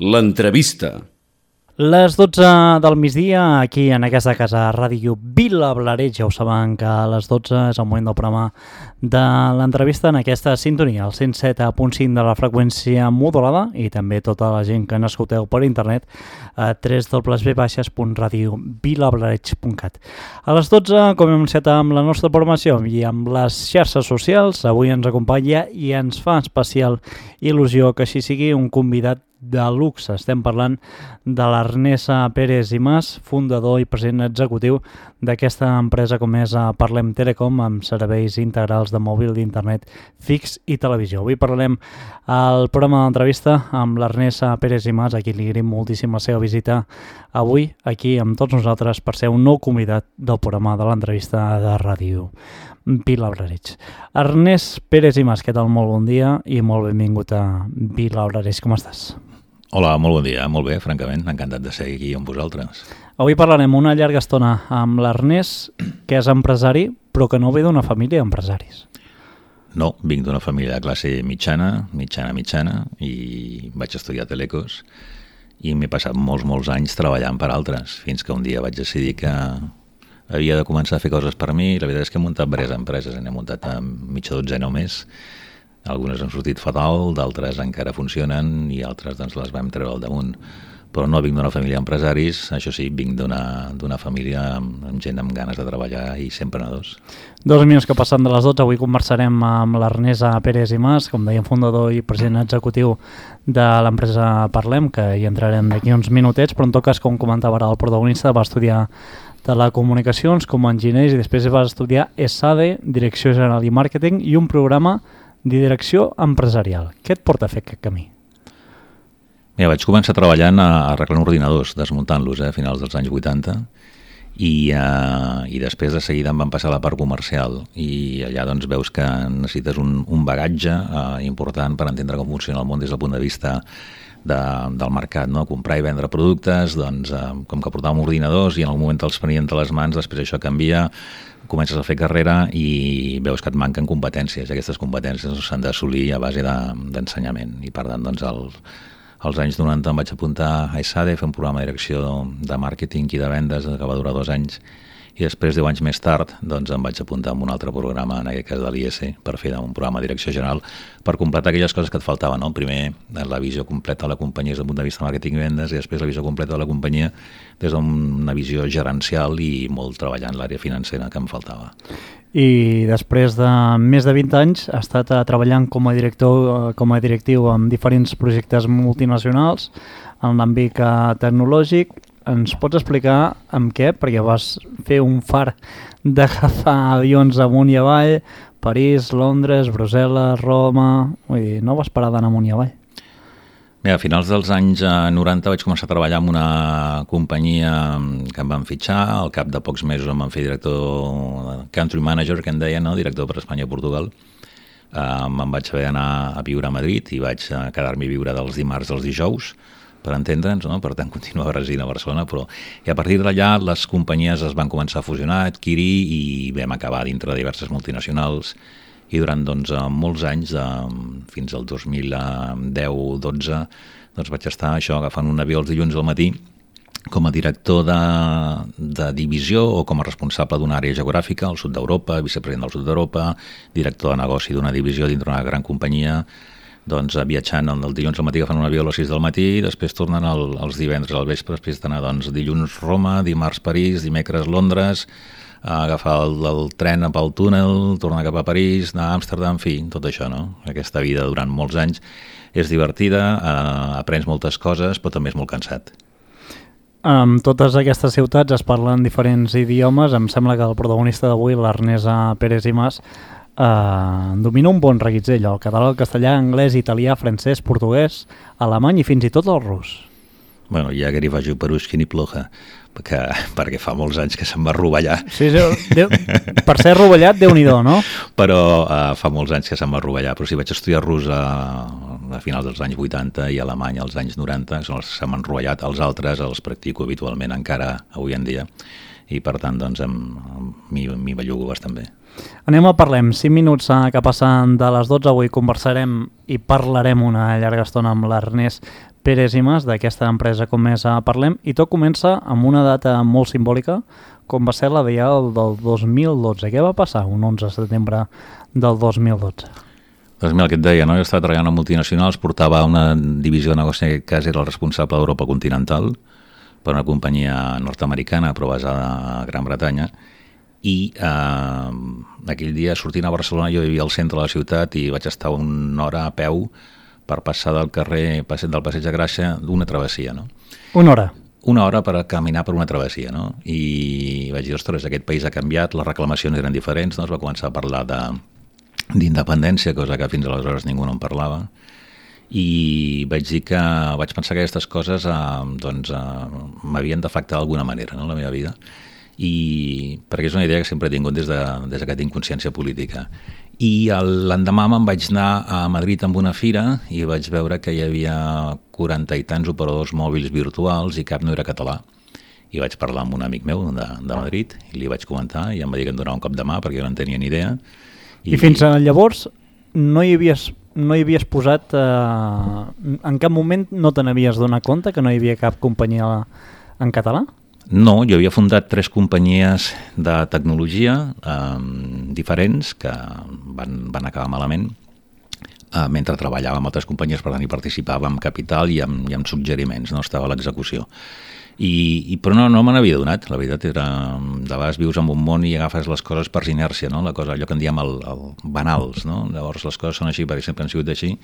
L'entrevista. Les 12 del migdia, aquí en aquesta casa Ràdio Vilablareix. Ja ho saben que a les 12 és el moment del programa de l'entrevista en aquesta sintonia, el 107.5 de la freqüència modulada, i també tota la gent que n'escolteu per internet a www.radiovilablareix.cat. A les 12, com hem anunciat amb la nostra programació i amb les xarxes socials, avui ens acompanya i ens fa especial il·lusió que així sigui un convidat de luxe. Estem parlant de l'Ernest Pérez i Mas, fundador i president executiu d'aquesta empresa com és Parlem Telecom, amb serveis integrals de mòbil, d'internet, fix i televisió. Avui parlarem al programa d'entrevista amb l'Ernest Pérez i Mas, a qui li agraïm moltíssim la seva visita avui aquí amb tots nosaltres per ser un nou convidat del programa de l'entrevista de Ràdio Vilablareix. Ernest Pérez i Mas, què tal? Molt bon dia i molt benvingut a Vilablareix. Com estàs? Hola, molt bon dia. Molt bé, francament. Encantat de ser aquí amb vosaltres. Avui parlarem una llarga estona amb l'Ernest, que és empresari, però que no ve d'una família d'empresaris. No, vinc d'una família de classe mitjana, i vaig estudiar Telecos i m'he passat molts anys treballant per altres, fins que un dia vaig decidir que havia de començar a fer coses per mi. La veritat és que he muntat diverses empreses, n'he muntat a mitja dotzena o més. Algunes han sortit fatal, d'altres encara funcionen i altres doncs, les vam treure al damunt. Però no vinc d'una família d'empresaris, això sí, vinc d'una família amb gent amb ganes de treballar i sempre emprenedors. 2 minuts que passen de les 12, avui conversarem amb l'Ernest Pérez i Mas, com dèiem, fundador i president executiu de l'empresa Parlem, que hi entrarem d'aquí uns minutets, però en tot cas, com comentava ara el protagonista, va estudiar telecomunicacions com a enginyer i després va estudiar ESADE, Direcció General i Màrqueting, i un programa de direcció empresarial. Què et porta a fer aquest camí? Mira, vaig començar treballant arreglant ordinadors, desmuntant-los a finals dels anys 80 i després de seguida em van passar a la part comercial i allà doncs veus que necessites un bagatge important per entendre com funciona el món des del punt de vista del mercat, no? Comprar i vendre productes, doncs com que portàvem ordinadors i en el moment te'ls prenien de les mans, després això canvia, comences a fer carrera i veus que et manquen competències. Aquestes competències s'han d'assolir a base d'ensenyament i per tant doncs als anys 90 em vaig apuntar a ESADE, fer un programa de direcció de màrqueting i de vendes que va durar 2 anys i després 10 anys més tard doncs em vaig apuntar a un altre programa, en aquest cas de l'IES, per fer un programa de direcció general per completar aquelles coses que et faltaven, no? Primer la visió completa de la companyia des del punt de vista de màrqueting i vendes i després la visió completa de la companyia des d'una visió gerencial i molt treballant l'àrea financera que em faltava. I després de més de 20 anys ha estat treballant com a directiu en diferents projectes multinacionals en l'àmbit tecnològic. Ens pots explicar amb què? Perquè vas fer un far d'agafar avions amunt i avall, París, Londres, Brussel·les, Roma... Vull dir, no vas parar d'anar amunt i avall. Bé, a finals dels anys 90 vaig començar a treballar en una companyia que em van fitxar, al cap de pocs mesos em van fer director, country manager, que en deien, no? Director per Espanya i Portugal. Me'n vaig haver d'anar a viure a Madrid i vaig quedar-m'hi a viure dels dimarts als dijous, per entendre'ns, no? Per tant continuava residint a Barcelona, però i a partir d'allà les companyies es van començar a fusionar, adquirir i vam acabar dintre de diverses multinacionals i durant doncs, molts anys, fins al 2010-12, doncs vaig estar agafant un avió els dilluns al matí com a director de divisió o com a responsable d'una àrea geogràfica al sud d'Europa, vicepresident del sud d'Europa, director de negoci d'una divisió dintre d'una gran companyia, doncs viatjant el dilluns al matí agafant un avió a les 6 del matí, després tornant els divendres al vespre, després d'anar doncs, dilluns Roma, dimarts París, dimecres Londres, agafar el tren pel túnel, tornar cap a París, anar a Amsterdam, en fi, tot això, no? Aquesta vida durant molts anys és divertida, aprens moltes coses, però també és molt cansat. En totes aquestes ciutats es parlen diferents idiomes. Em sembla que el protagonista d'avui, l'Ernest Pérez i Mas, domina un bon reguitzell, el català, el castellà, anglès, italià, francès, portuguès, alemany i fins i tot el rus. Bueno, ja que hi faig per-uixki ni ploja, perquè fa molts anys que se'm va rovellar. Sí, per ser rovellat, Déu-n'hi-do, no? Però fa molts anys que se'm va rovellar, però sí, vaig estudiar rus a finals dels anys 80 i alemany als anys 90, són els que se m'han rovellat, els altres els practico habitualment encara avui en dia, i per tant doncs m'hi bellugo bastant bé. Anem a Parlem, 5 minuts que passen de les 12, avui conversarem i parlarem una llarga estona amb l'Ernest Pérez i Mas, d'aquesta empresa com més parlem, i tot comença amb una data molt simbòlica, com va ser la Diada del 2012. Què va passar un 11 de setembre del 2012? Doncs mira, el que et deia, no? Jo estava treballant a multinacionals, portava una divisió de negoci, en aquest cas era el responsable d'Europa continental, per una companyia nord-americana però basada a Gran Bretanya, i aquell dia sortint a Barcelona jo vivia al centre de la ciutat i vaig estar una hora a peu per passar del carrer del Passeig de Gràcia d'una travessia, no? Una hora? Una hora per caminar per una travessia, no? I vaig dir, ostres, aquest país ha canviat, les reclamacions eren diferents, no? Es va començar a parlar d'independència, cosa que fins aleshores ningú no en parlava, i vaig pensar que aquestes coses m'havien d'afectar d'alguna manera, no?, la meva vida, i perquè és una idea que sempre he tingut des que tinc consciència política. I l'endemà me'n vaig anar a Madrid amb una fira i vaig veure que hi havia 40 i tants operadors mòbils virtuals i cap no era català. I vaig parlar amb un amic meu de Madrid i li vaig comentar i em va dir que em donava un cop de mà perquè jo no en tenia ni idea. I fins llavors no hi havies posat... en cap moment no te n'havies donat compte que no hi havia cap companyia en català? No, jo havia fundat 3 companyies de tecnologia diferents que van acabar malament mentre treballava amb altres companyies, per tant hi participava amb capital i amb suggeriments, no estava a l'execució. Però no me n'havia donat, la veritat era, de vegades vius en un món i agafes les coses per inèrcia, no? La cosa, allò que en diem el banals, no? Llavors les coses són així perquè sempre han sigut així,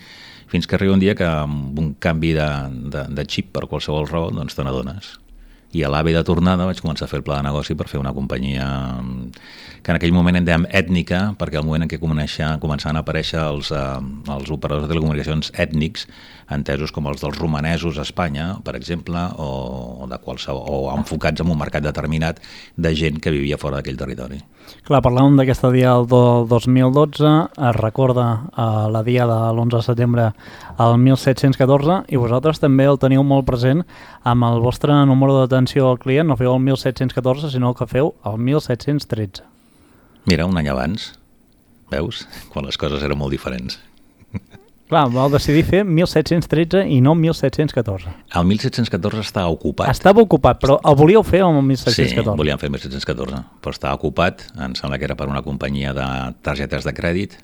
fins que arriba un dia que amb un canvi de xip per qualsevol raó, doncs te n'adones. I a l'AVE de tornada vaig començar a fer el pla de negoci per fer una companyia que en aquell moment en dèiem ètnica, perquè al moment en què començaven a aparèixer els operadors de telecomunicacions ètnics, entesos com els dels romanesos a Espanya, per exemple, o enfocats en un mercat determinat de gent que vivia fora d'aquell territori. Clar, parlàvem d'aquesta Diada del 2012, es recorda la Diada de l'11 de setembre al 1714 i vosaltres també el teniu molt present amb el vostre número d'atenció al client, no feu el 1714 sinó que feu el 1713. Mira, un any abans, veus? Quan les coses eren molt diferents. Clar, vau decidir fer 1713 i no 1714. El 1714 estava ocupat. Estava ocupat, però el volíeu fer amb el 1714? Sí, volíem fer el 1714, però estava ocupat, em sembla que era per una companyia de targetes de crèdit,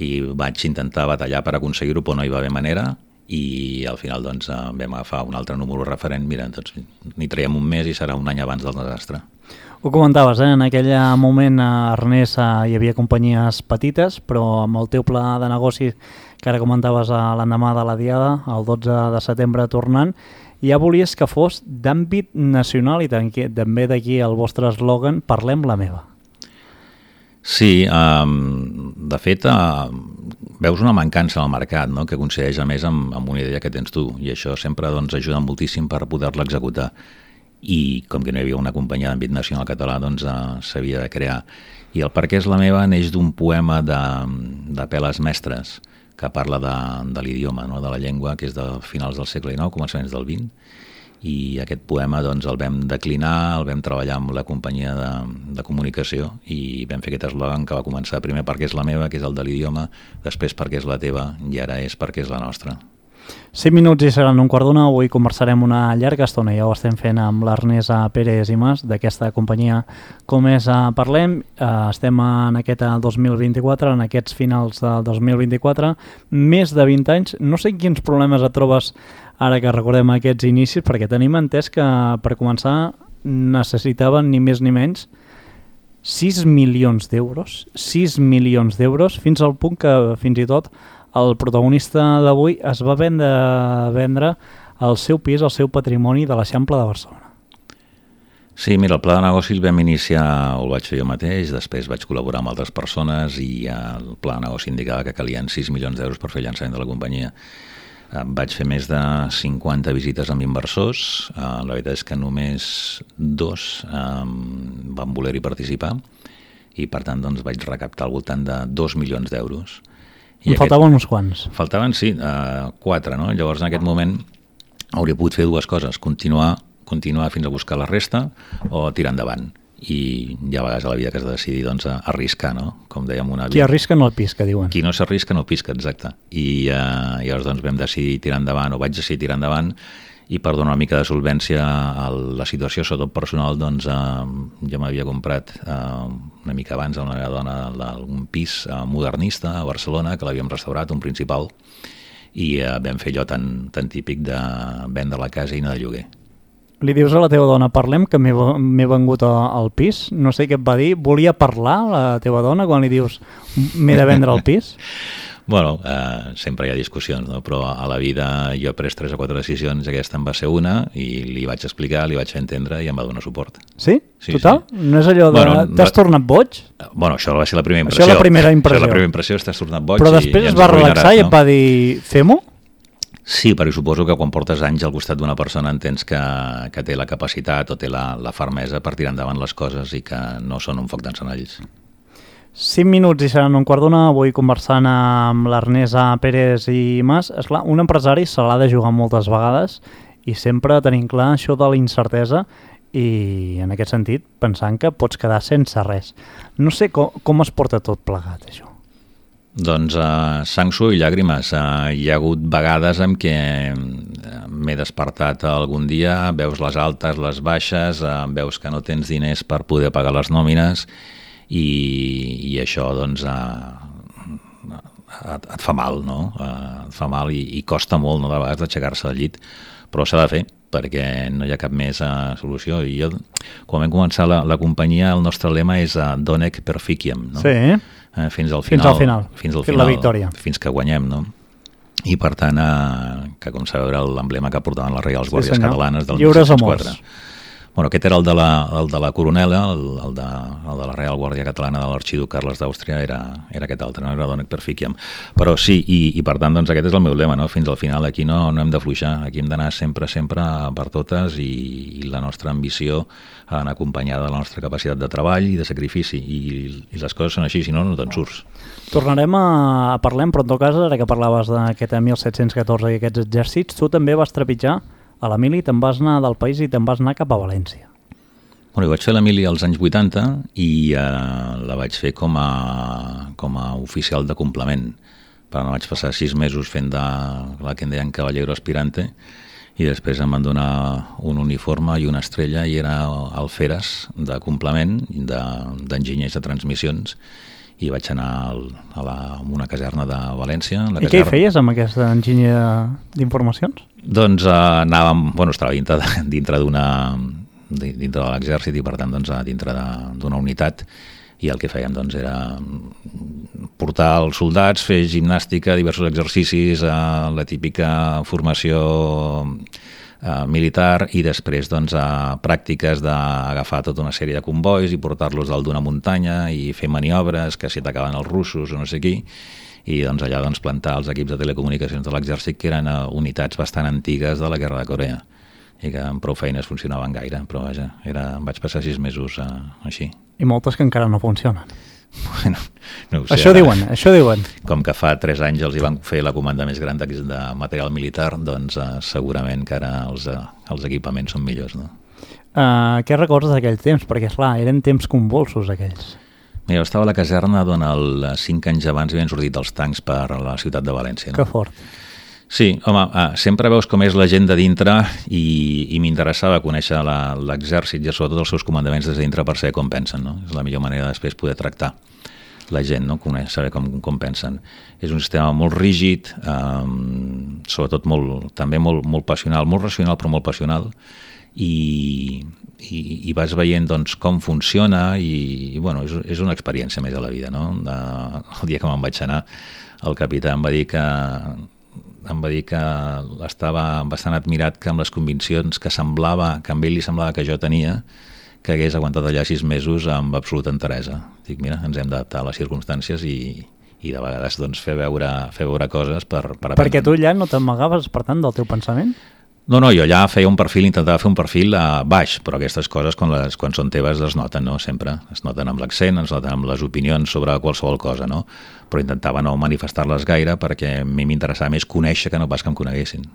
i vaig intentar batallar per aconseguir-ho, però no hi va haver manera, i al final doncs vam agafar un altre número referent, mira, doncs n'hi traiem un mes i serà un any abans del desastre. Ho comentaves, en aquell moment a Ernest hi havia companyies petites, però amb el teu pla de negoci que ara comentaves l'endemà de la Diada, el 12 de setembre tornant, ja volies que fos d'àmbit nacional i també d'aquí el vostre eslògan, parlem la meva. Sí, de fet, veus una mancança al mercat, no?, que coincideix a més amb una idea que tens tu, i això sempre ajuda moltíssim per poder-la executar. I com que no hi havia una companyia d'àmbit nacional català, doncs s'havia de crear. I el Per què és la meva neix d'un poema de Peles Mestres, que parla de l'idioma, no?, de la llengua, que és de finals del segle XIX, començaments del XX, i aquest poema doncs el vam declinar, el vam treballar amb la companyia de comunicació i vam fer aquest eslògan que va començar primer Per què és la meva, que és el de l'idioma, després Per què és la teva i ara és Per què és la nostra. 5 minuts i seran un quart d'una. Avui conversarem una llarga estona, ja ho estem fent amb l'Ernest Pérez i Mas d'aquesta companyia Com és Parlem. Estem en aquest 2024, en aquests finals del 2024, més de 20 anys. No sé quins problemes et trobes ara que recordem aquests inicis, perquè tenim entès que per començar necessitaven ni més ni menys 6 milions d'euros. 6 milions d'euros, fins al punt que fins i tot el protagonista d'avui es va vendre el seu pis, el seu patrimoni de l'Eixample de Barcelona. Sí, mira, el pla de negoci el vam iniciar, el vaig fer jo mateix, després vaig col·laborar amb altres persones i el pla de negoci indicava que calien 6 milions d'euros per fer el llançament de la companyia. Vaig fer més de 50 visites amb inversors, la veritat és que només 2 van voler-hi participar i per tant doncs, vaig recaptar al voltant de 2 milions d'euros. Faltaven uns quants. Faltaven, sí, 4, no? Llavors en aquest moment hauria pogut fer 2 coses, continuar fins a buscar la resta o tirar endavant. i hi ha vegades a la vida que has de decidir doncs, a arriscar, no? Com dèiem una Qui arrisca no el pisca, diuen. Qui no s'arrisca no pisca, exacte. I llavors doncs, vam decidir tirar endavant, o vaig decidir tirar endavant, i per donar una mica de solvència a la situació, sobretot personal, doncs jo m'havia comprat una mica abans a la meva dona un pis modernista a Barcelona, que l'havíem restaurat, un principal, i vam fer allò tan típic de vendre la casa i anar de lloguer. Li dius a la teva dona, parlem, que m'he vengut al pis? No sé què et va dir. Volia parlar la teva dona quan li dius m'he de vendre el pis? Bueno, sempre hi ha discussions, no? Però a la vida jo he pres 3 o 4 decisions, aquesta en va ser una, i li vaig explicar, li vaig fer entendre i em va donar suport. Sí? Sí, total? sí. No és allò de... Bueno, t'has tornat boig? Bueno, això va ser la primera impressió. Això és la primera impressió. Això és la primera impressió, t'has tornat boig. Però després es va relaxar i et va dir fem-ho? Sí, perquè suposo que quan portes anys al costat d'una persona entens que té la capacitat o té la fermesa per tirar endavant les coses i que no són un foc d'encenalls. 5 minuts i seran 1:15, avui conversant amb l'Ernest Pérez i Mas. Esclar, un empresari se l'ha de jugar moltes vegades i sempre tenim clar això de la incertesa i en aquest sentit pensant que pots quedar sense res. No sé com es porta tot plegat, això. Doncs sang, suor i llàgrimes. Hi ha hagut vegades en què m'he despertat algun dia, veus les altes, les baixes, veus que no tens diners per poder pagar les nòmines i això doncs et fa mal, no? Et fa mal i costa molt, no, de vegades d'aixecar-se del llit, però s'ha de fer perquè no hi ha cap més solució. I jo, quan vam començar la companyia, el nostre lema és Donec Perficiam, no? Sí. Fins al final. Fins la victòria. Fins que guanyem, no? I per tant, que com sabeu era l'emblema que portaven les Reials Guàrdies Catalanes del 1904. Bueno, aquest era el de la coronela, el de la Real Guàrdia Catalana de l'Arxiduc Carles d'Àustria era aquest altre, no era Donec Perficiam. Però sí, i per tant doncs aquest és el meu lema, no? Fins al final aquí no hem de fluixar, aquí hem d'anar sempre per totes i la nostra ambició ha d'anar acompanyada de la nostra capacitat de treball i de sacrifici i les coses són així, si no te'n surts. Tornarem a parlar, però en tot cas, ara que parlaves d'aquest 1714 i aquests exèrcits, tu també vas trepitjar a la mili, te'n vas anar del país i te'n vas anar cap a València. Bueno, jo vaig fer la mili als anys 80 i la vaig fer com a oficial de complement. Però no vaig passar 6 mesos fent de la que en deien cavallero aspirante i després em van donar un uniforme i una estrella i era alferes de complement d'enginyers de transmissions i vaig anar a una caserna de València. I què hi feies amb aquesta enginyer d'informacions? Doncs anàvem, estava dintre de l'exèrcit i per tant doncs, dintre d'una unitat i el que fèiem doncs, era portar els soldats, fer gimnàstica, diversos exercicis, la típica formació militar i després doncs, pràctiques d'agafar tota una sèrie de convois i portar-los dalt d'una muntanya i fer maniobres que si atacaven els russos o no sé qui i doncs, allà doncs, plantar els equips de telecomunicacions de l'exèrcit que eren unitats bastant antigues de la Guerra de Corea i que amb prou feines funcionaven gaire, però vaja, vaig passar 6 mesos així. I moltes que encara no funcionen. Bueno, no ho sé. Això diuen. Com que fa 3 anys els hi van fer la comanda més gran de material militar, doncs segurament que ara els equipaments són millors, no? Què recordes d'aquell temps? Perquè, clar, eren temps convulsos aquells. Mira, jo estava a la caserna d'on 5 anys abans havien sortit els tancs per la ciutat de València. No? Que fort. Sí, home, sempre veus com és la gent de dintre i m'interessava conèixer l'exèrcit i sobretot els seus comandaments des de dintre per saber com pensen, no? És la millor manera de després poder tractar la gent, no? Saber com pensen. És un sistema molt rígid, sobretot també molt passional, molt racional però molt passional i vas veient doncs, com funciona i bueno, és una experiència més a la vida, no? El dia que me'n vaig anar el capità em va dir que estava bastant admirat que amb les conviccions que amb ell li semblava que jo tenia que hagués aguantat allà 6 mesos amb absoluta enteresa. Dic, mira, ens hem d'adaptar a les circumstàncies i de vegades doncs, fer veure coses per aprendre. Perquè tu allà no t'amagaves, per tant, del teu pensament? No, jo allà intentava fer un perfil baix, però aquestes coses quan són teves es noten, no? Sempre es noten amb l'accent, es noten amb les opinions sobre qualsevol cosa, no? Però intentava no manifestar-les gaire perquè a mi m'interessava més conèixer que no pas que em coneguessin.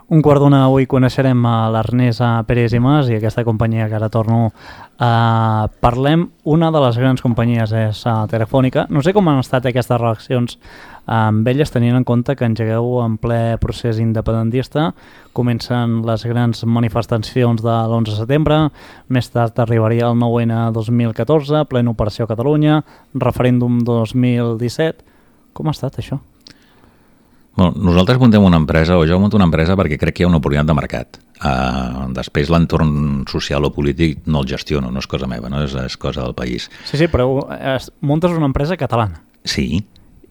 1:15 avui coneixerem a l'Ernest Pérez i Mas i aquesta companyia que ara torno parlem. Una de les grans companyies és Telefònica. No sé com han estat aquestes relacions amb elles, tenint en compte que engegueu en ple procés independentista, comencen les grans manifestacions de l'11 de setembre, més tard arribaria el 9N 2014, plena operació a Catalunya, referèndum 2017. Com ha estat això? Bueno, nosaltres muntem una empresa, o jo monto una empresa perquè crec que hi ha una oportunitat de mercat. Després l'entorn social o polític no el gestiono, no és cosa meva, no és cosa del país. Sí, però muntes una empresa catalana. Sí,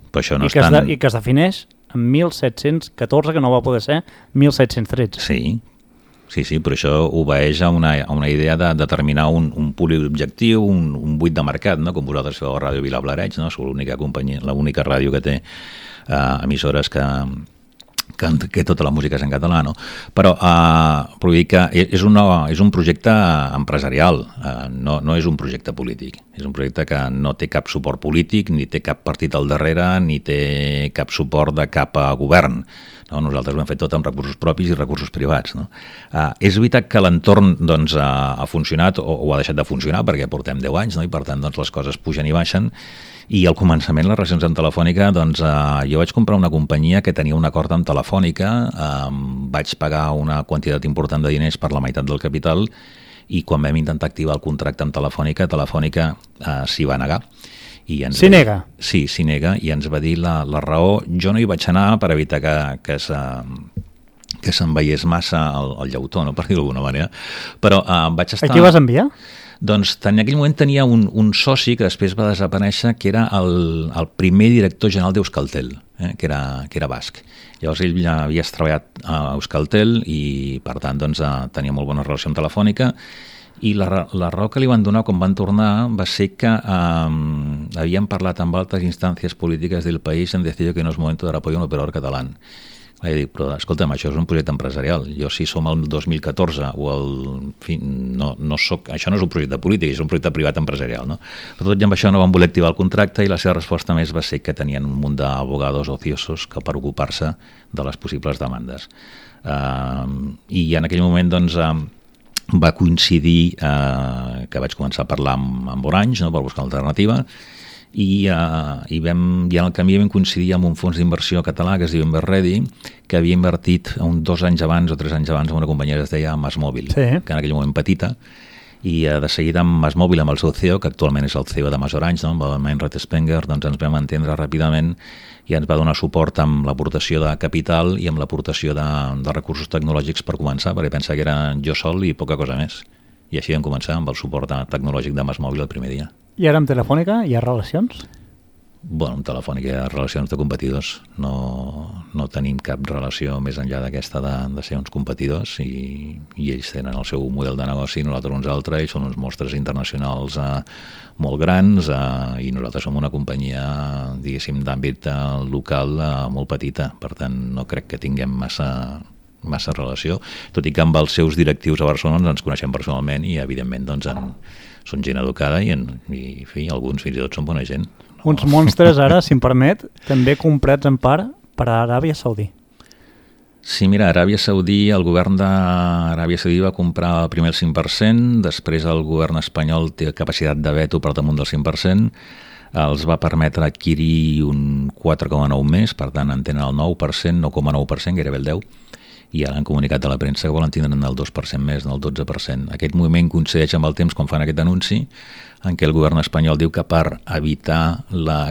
però això no I que es defineix en 1714, que no va poder ser 1713. Sí, però això obeeix a una idea de determinar un públic objectiu, un buit de mercat, no? Com vosaltres feu a Ràdio Vilablareig, no? Sou l'única companyia, l'única ràdio que té emissores que tota la música és en català, no? Però vull dir que és un projecte empresarial, no és un projecte polític. És un projecte que no té cap suport polític, ni té cap partit al darrere, ni té cap suport de cap govern. No? Nosaltres ho hem fet tot amb recursos propis i recursos privats. No? És veritat que l'entorn doncs, ha funcionat o ha deixat de funcionar perquè portem 10 anys, no? I per tant doncs, les coses pugen i baixen. I al començament, les relacions amb Telefònica, doncs, jo vaig comprar una companyia que tenia un acord amb Telefònica, vaig pagar una quantitat important de diners per la meitat del capital i quan vam intentar activar el contracte amb Telefònica, Telefònica s'hi va negar. S'hi nega? Sí, s'hi nega i ens va dir la raó. Jo no hi vaig anar per evitar que se'n veiés massa el llautó, no? Per dir-ho d'alguna manera, però vaig estar... A qui vas enviar? Doncs en aquell moment tenia un soci que després va desaparèixer, que era el primer director general d'Euskaltel, que era basc. Llavors ell ja havia treballat a Euskaltel i per tant doncs, tenia molt bona relació amb Telefònica i la raó que li van donar quan van tornar va ser que havien parlat amb altres instàncies polítiques del país en decidir que no és moment de apoyar un operador català. Vaig dir, però escolta'm, això és un projecte empresarial. Jo si som el 2014 o en fi, no soc, això no és un projecte polític, és un projecte privat empresarial. No? Però tot i amb això no van voler activar el contracte i la seva resposta més va ser que tenien un munt d'abogados ociosos que per ocupar-se de les possibles demandes. I en aquell moment doncs, va coincidir que vaig començar a parlar amb Orange, no, per buscar una alternativa, i en el camí vam coincidir amb un fons d'inversió català que es diu Inverready, que havia invertit 2 anys abans o 3 anys abans en una companyia que es deia MásMóvil, que en aquell moment petita, i de seguida amb MásMóvil, amb el seu CEO, que actualment és el CEO de MásOrange, no? Amb el Meinrad Spenger, doncs ens vam entendre ràpidament i ens va donar suport amb l'aportació de capital i amb l'aportació de recursos tecnològics per començar, perquè pensa que era jo sol i poca cosa més. I així vam començar amb el suport tecnològic de MásMóvil el primer dia. I ara amb Telefònica hi ha relacions? Bueno, amb Telefònica hi ha relacions de competidors. No tenim cap relació més enllà d'aquesta de ser uns competidors i ells tenen el seu model de negoci, nosaltres uns altres, i són uns mostres internacionals molt grans i nosaltres som una companyia, diguéssim, d'àmbit local molt petita. Per tant, no crec que tinguem massa relació, tot i que amb els seus directius a Barcelona ens coneixem personalment i evidentment doncs, són gent educada i alguns fins i tot són bona gent. Uns monstres ara, si em permet, també comprats en part per a Aràbia Saudí. Sí, mira, el govern d'Aràbia Saudí va comprar primer el 5%, després el govern espanyol té capacitat de veto per damunt del 5%, els va permetre adquirir un 4,9 més, per tant en tenen el 9%, 9,9%, gairebé el 10%, i ara han comunicat a la premsa que volen tindre el 2% més, el 12%. Aquest moviment coincideix amb el temps quan fan aquest anunci, en què el govern espanyol diu que per evitar la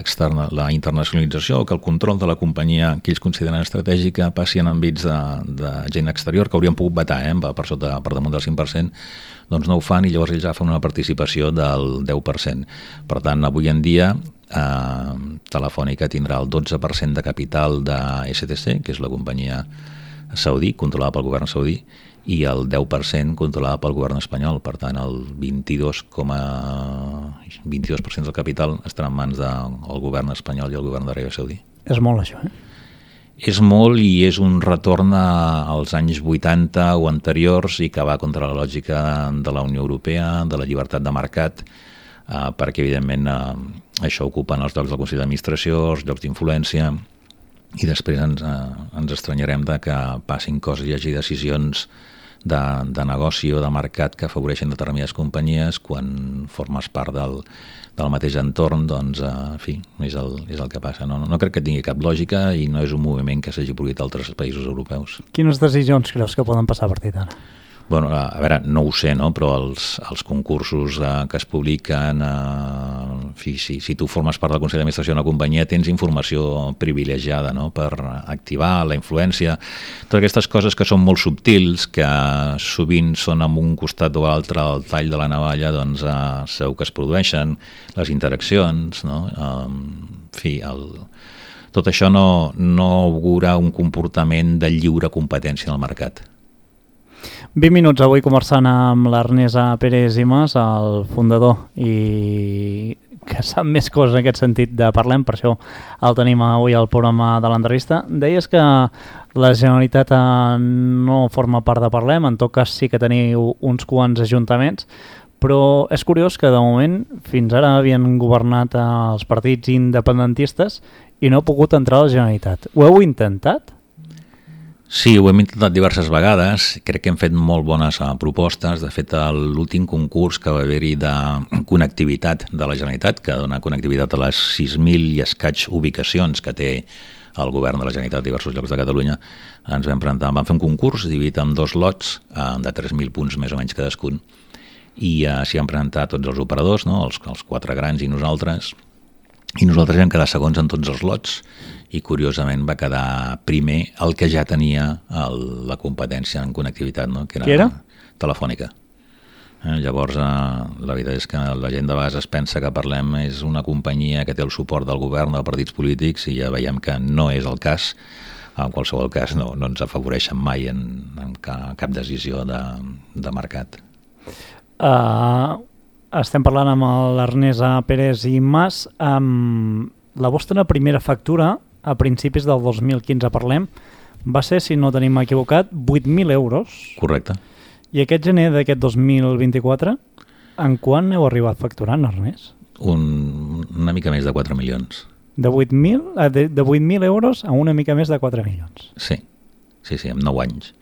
internacionalització o que el control de la companyia que ells consideren estratègica passi en àmbits de gent exterior, que haurien pogut vetar per damunt del 5%, doncs no ho fan i llavors ells agafen una participació del 10%. Per tant, avui en dia Telefònica tindrà el 12% de capital de STC, que és la companyia saudí, controlada pel govern saudí, i el 10% controlada pel govern espanyol. Per tant, el 22% del capital estarà en mans del govern espanyol i el govern d'Aràbia Saudí. És molt, això, És molt i és un retorn als anys 80 o anteriors i que va contra la lògica de la Unió Europea, de la llibertat de mercat, perquè, evidentment, això ocupen els llocs del Consell d'Administració, els llocs d'influència, i després ens estranyarem de que passin coses i hi hagi decisions de negoci o de mercat que afavoreixen determinades companyies quan formes part del mateix entorn, doncs, en fi, és el que passa. No crec que tingui cap lògica i no és un moviment que s'hagi produït a altres països europeus. Quines decisions creus que poden passar a partir d'ara? Bueno, a veure, no ho sé, no? Però els concursos que es publiquen, en fi, si tu formes part del Consell d'Administració d'una companyia tens informació privilegiada, no? Per activar la influència, totes aquestes coses que són molt subtils, que sovint són amb un costat o l'altre el tall de la navalla, doncs segur que es produeixen, les interaccions, no? En fi, tot això no augura un comportament de lliure competència en el mercat. 20 minuts avui conversant amb l'Ernest Pérez i Mas, el fundador, i que sap més coses en aquest sentit de Parlem, per això el tenim avui al programa de l'entrevista. Deies que la Generalitat no forma part de Parlem, en tot cas sí que teniu uns quants ajuntaments, però és curiós que de moment fins ara havien governat els partits independentistes i no ha pogut entrar a la Generalitat. Ho heu intentat? Sí, ho hem intentat diverses vegades, crec que hem fet molt bones propostes. De fet, l'últim concurs que va haver-hi de connectivitat de la Generalitat, que dona connectivitat a les 6.000 i escaig ubicacions que té el govern de la Generalitat a diversos llocs de Catalunya, ens vam presentar, vam fer un concurs dividit en 2 lots de 3.000 punts més o menys cadascun, i s'hi han presentat tots els operadors, no? els 4 grans i nosaltres vam quedar segons en tots els lots, i curiosament va quedar primer el que ja tenia la competència en connectivitat, no? Que era? Telefònica. Llavors, la veritat és que la gent de vegades es pensa que Parlem és una companyia que té el suport del govern, dels partits polítics, i ja veiem que no és el cas. En qualsevol cas no ens afavoreixen mai en cap decisió de mercat. Estem parlant amb l'Ernest Pérez i Mas. La vostra primera factura a principis del 2015 Parlem va ser, si no tenim equivocat, 8.000 euros. Correcte. I aquest gener d'aquest 2024, en quant heu arribat facturant, Ernest? Una mica més de 4 milions. De 8.000 euros a una mica més de 4 milions. Sí, en 9 anys.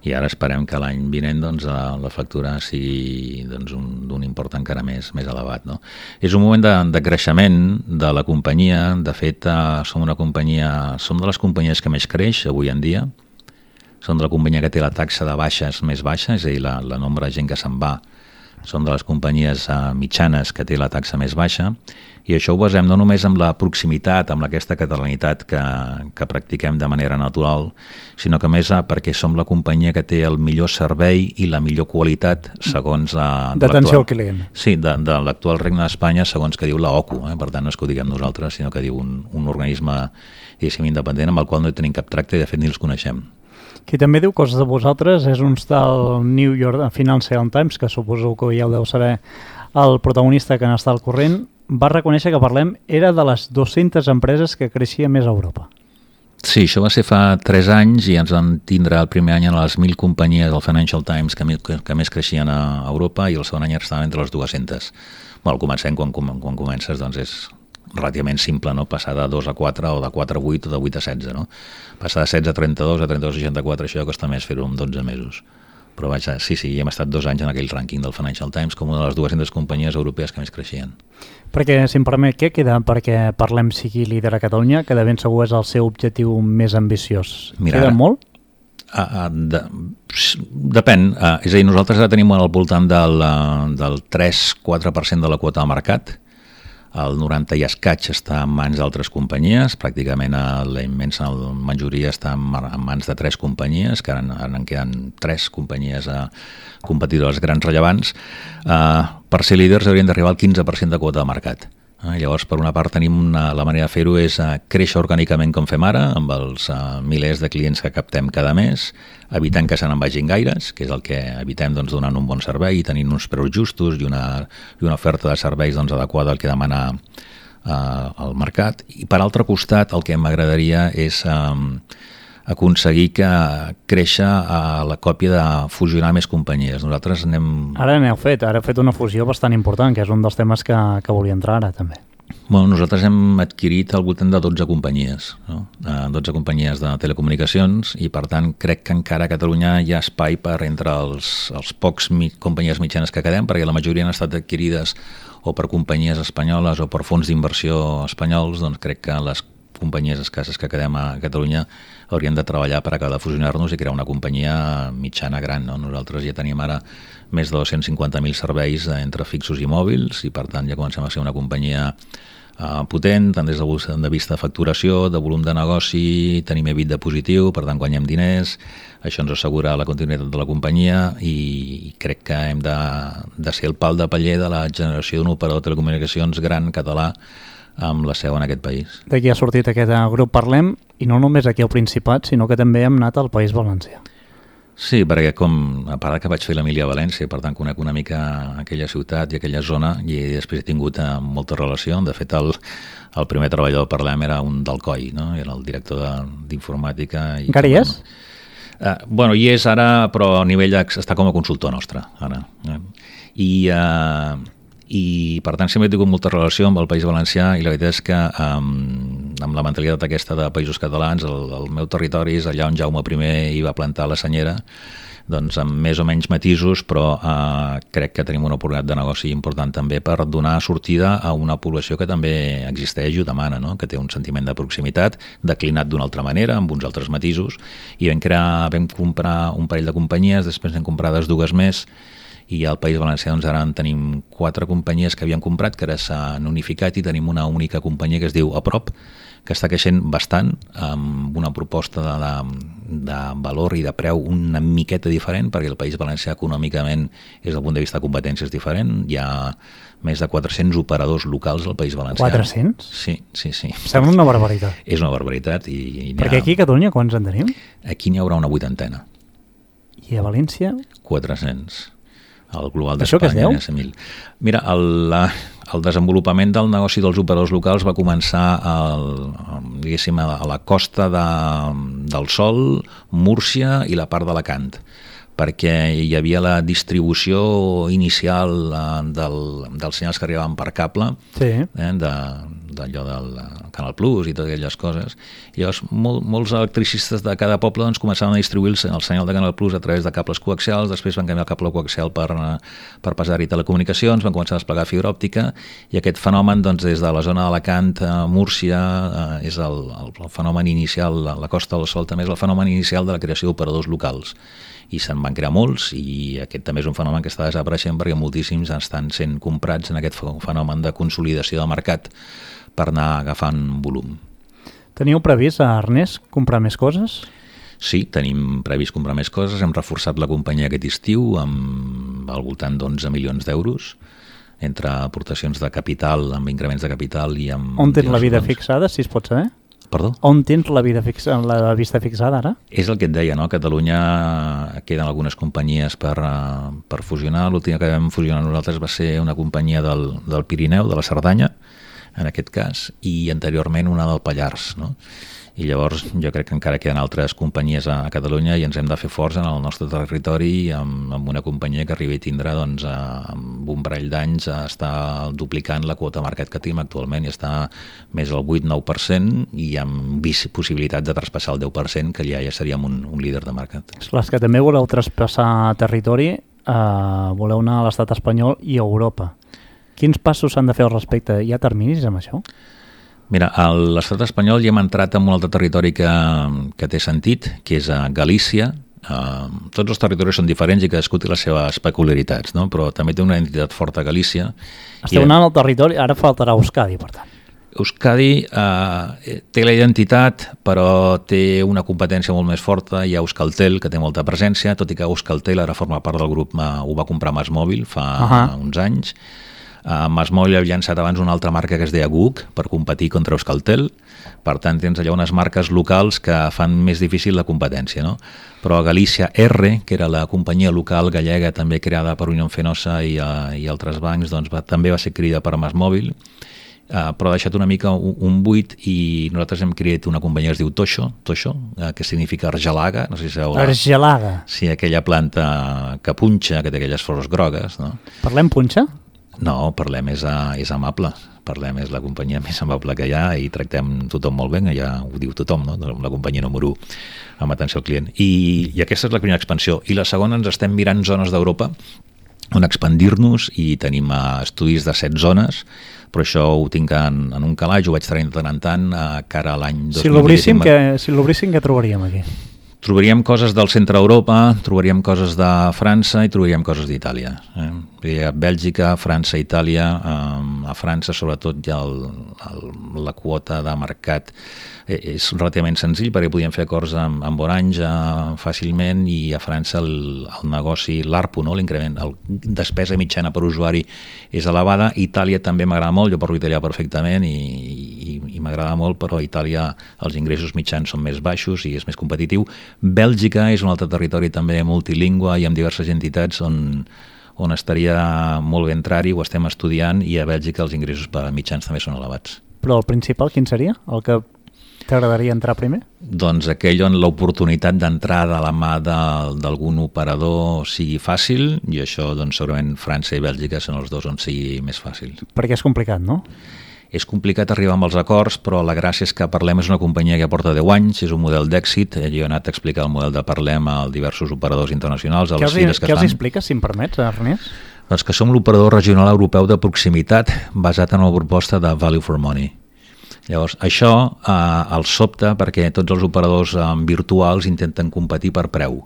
I ara esperem que l'any vinent doncs, la factura sigui doncs, d'un import encara més elevat. No? És un moment de creixement de la companyia. De fet, som de les companyies que més creix avui en dia. Som de la companyia que té la taxa de baixes més baixa, és a dir, la nombre de gent que se'n va. Som de les companyies mitjanes que té la taxa més baixa, i això ho basem no només amb la proximitat, amb aquesta catalanitat que practiquem de manera natural, sinó que més perquè som la companyia que té el millor servei i la millor qualitat segons d'atenció al client. Sí, de l'actual Regne d'Espanya, segons que diu la OCU. Per tant, no és que ho diguem nosaltres, sinó que diu un organisme independent amb el qual no hi tenim cap tracte i de fet ni els coneixem. Qui també diu coses de vosaltres és un tal New York Financial Times, que suposo que ja ho deu saber el protagonista que n'està al corrent, va reconèixer que Parlem era de les 200 empreses que creixia més a Europa. Sí, això va ser fa 3 anys i ens van tindre el primer any en les 1.000 companyies del Financial Times que més creixien a Europa, i el segon any estaven entre les 200. Bueno, comencem quan comences, doncs és relativament simple, no? Passar de 2 a 4 o de 4 a 8 o de 8 a 16, no? Passar de 16 a 32 a 32 a 64, això costa més fer-ho en 12 mesos. Però vaja, sí, hem estat 2 anys en aquell rànquing del Financial Times com una de les 200 companyies europees que més creixien. Perquè, si em permet, què queda perquè Parlem sigui líder a Catalunya, que de ben segur és el seu objectiu més ambiciós? Queda molt? Depèn. És a dir, nosaltres ara tenim al voltant del 3-4% de la quota de mercat. El 90 i escaig està en mans d'altres companyies, pràcticament la immensa majoria està en mans de 3 companyies, que ara en queden 3 companyies competidores grans rellevants. Per ser líders haurien d'arribar al 15% de quota de mercat. Llavors, per una part, tenim la manera de fer-ho és créixer orgànicament com fem ara, amb els milers de clients que captem cada mes, evitant que se n'en vagin gaires, que és el que evitem donant un bon servei, tenint uns preus justos i una oferta de serveis adequada al que demana el mercat. I per altre costat, el que m'agradaria és aconseguir que créixer a la còpia de fusionar més companyies. Nosaltres Ara heu fet una fusió bastant important, que és un dels temes que volia entrar ara també. Bueno, nosaltres hem adquirit al voltant de 12 companyies, no? 12 companyies de telecomunicacions i, per tant, crec que encara a Catalunya hi ha espai per entre els pocs companyies mitjanes que quedem, perquè la majoria han estat adquirides o per companyies espanyoles o per fons d'inversió espanyols, doncs crec que les companyies escasses que quedem a Catalunya haurien de treballar per acabar de fusionar-nos i crear una companyia mitjana gran, no? Nosaltres ja tenim ara més de 250.000 serveis entre fixos i mòbils i, per tant, ja comencem a ser una companyia potent, tant des del punt de vista de facturació, de volum de negoci, tenim EBITDA positiu, per tant guanyem diners, això ens assegura la continuïtat de la companyia i crec que hem de ser el pal de paller de la generació d'un operador de telecomunicacions gran català amb la seu en aquest país. D'aquí ha sortit aquest grup Parlem, i no només aquí al Principat, sinó que també hem anat al País Valencià. Sí, perquè a part que vaig fer l'Emília-València, per tant conec una mica aquella ciutat i aquella zona i després he tingut molta relació. De fet, el primer treballador per Parlem era un d'Alcoi, no? Era el director d'informàtica. Encara hi és? Bueno, hi és ara, però a nivell està com a consultor nostre, ara. I per tant sempre he tingut molta relació amb el País Valencià i la veritat és que amb la mentalitat aquesta de països catalans el meu territori és allà on Jaume I hi va plantar la senyera, doncs amb més o menys matisos, però crec que tenim una oportunitat de negoci important també per donar sortida a una població que també existeix i ho demana, no? Que té un sentiment de proximitat declinat d'una altra manera, amb uns altres matisos, i vam comprar un parell de companyies, després n'hem comprades 2 més, i al País Valencià doncs, ara en tenim 4 companyies que havíem comprat, que ara s'han unificat i tenim una única companyia que es diu Aprop, que està creixent bastant, amb una proposta de valor i de preu una miqueta diferent, perquè el País Valencià econòmicament des del punt de vista de competència és diferent. Hi ha més de 400 operadors locals al País Valencià. 400? Sí. Sembla una barbaritat. És una barbaritat. Perquè aquí a Catalunya quants en tenim? Aquí n'hi haurà una 80. I a València? 400. El global d'Espanya. Això què es deu? Mira, el desenvolupament del negoci dels operadors locals va començar diguéssim, a la costa del Sol, Múrcia i la part d'Alacant, perquè hi havia la distribució inicial dels senyals que arribaven per cable, sí. D'allò del Canal Plus i totes aquelles coses. I llavors molts electricistes de cada poble doncs, començaven a distribuir el senyal de Canal Plus a través de cables coaxials, després van canviar el cable coaxial per passar-hi telecomunicacions, van començar a desplegar fibra òptica i aquest fenomen doncs, des de la zona d'Alacant, Múrcia, és el fenomen inicial, la Costa del Sol també és el fenomen inicial de la creació d'operadors locals. I se'n van crear molts i aquest també és un fenomen que està desapareixent perquè moltíssims estan sent comprats en aquest fenomen de consolidació de mercat per anar agafant volum. Teniu previst, Ernest, comprar més coses? Sí, tenim previst comprar més coses. Hem reforçat la companyia aquest estiu al voltant d'11 milions d'euros entre aportacions de capital, amb increments de capital i amb... On tens la vida fixada, si es pot saber? Perdó? On tens la vista fixada ara? És el que et deia, no? A Catalunya queden algunes companyies per fusionar. L'última que vam fusionar nosaltres va ser una companyia del Pirineu, de la Cerdanya, en aquest cas, i anteriorment una del Pallars, no? I llavors jo crec que encara queden altres companyies a Catalunya i ens hem de fer forts en el nostre territori amb una companyia que arribi a tindre doncs, amb un parell d'anys està duplicant la quota de mercat que tenim actualment i està més del 8-9% i amb possibilitat de traspassar el 10%, que ja seríem un líder de mercat. Les que també voleu traspassar territori, voleu anar a l'estat espanyol i a Europa. Quins passos s'han de fer al respecte? Hi ha terminis amb això? Mira, a l'estat espanyol ja hem entrat en un altre territori que té sentit, que és a Galícia. Tots els territoris són diferents i cadascú té les seves peculiaritats, no? Però també té una identitat forta a Galícia. Esteu anant al territori, ara faltarà Euskadi, per tant. Euskadi té la identitat, però té una competència molt més forta. Hi ha Euskaltel, que té molta presència, tot i que Euskaltel ara forma part del grup, ho va comprar MásMóvil fa uns anys. MásMóvil havia llançat abans una altra marca que es deia GUC per competir contra Euskaltel, per tant tens allà unes marques locals que fan més difícil la competència, no? Però a Galícia R, que era la companyia local gallega també creada per Unión Fenosa i altres bancs, doncs també va ser creada per MásMóvil, però ha deixat una mica un buit i nosaltres hem creat una companyia que es diu Toixo, que significa argelaga, no sé si sabeu. Argelaga? Sí, aquella planta que punxa, que té aquelles flors grogues, no? Parlem punxa? No, Parlem és amable. Parlem és la companyia més amable que hi ha i tractem tothom molt bé, ja ho diu tothom, no? La companyia número 1 amb atenció al client. I aquesta és la primera expansió. I la segona, ens estem mirant zones d'Europa on expandir-nos i tenim estudis de 7 zones, però això ho tinc en un calaix, ho vaig tenir de tant en tant cara a l'any 2025. Si l'obríssim, què trobaríem aquí? Trobaríem coses del centre d'Europa, trobaríem coses de França i trobaríem coses d'Itàlia. Bèlgica, França, Itàlia. A França, sobretot, ja la quota de mercat és relativament senzill perquè podíem fer acords amb Orange fàcilment, i a França el negoci, l'ARPU, no? L'increment, la despesa mitjana per usuari és elevada. Itàlia també m'agrada molt, jo parlo italià perfectament i m'agrada molt, però a Itàlia els ingressos mitjans són més baixos i és més competitiu. Bèlgica és un altre territori també multilingüe i amb diverses entitats on estaria molt bé entrar-hi, ho estem estudiant, i a Bèlgica els ingressos mitjans també són elevats. Però el principal quin seria? El que t'agradaria entrar primer? Doncs aquell on l'oportunitat d'entrar de la mà d'algun operador sigui fàcil, i això doncs segurament França i Bèlgica són els dos on sigui més fàcil. Perquè és complicat, no? És complicat arribar amb els acords, però la gràcia és que Parlem és una companyia que porta 10 anys, és un model d'èxit. Jo he anat a explicar el model de Parlem a diversos operadors internacionals, a les fires que fan. Què els expliques, si em permets, Ernest? Doncs que som l'operador regional europeu de proximitat basat en una proposta de value for money. Llavors, això el sobta perquè tots els operadors virtuals intenten competir per preu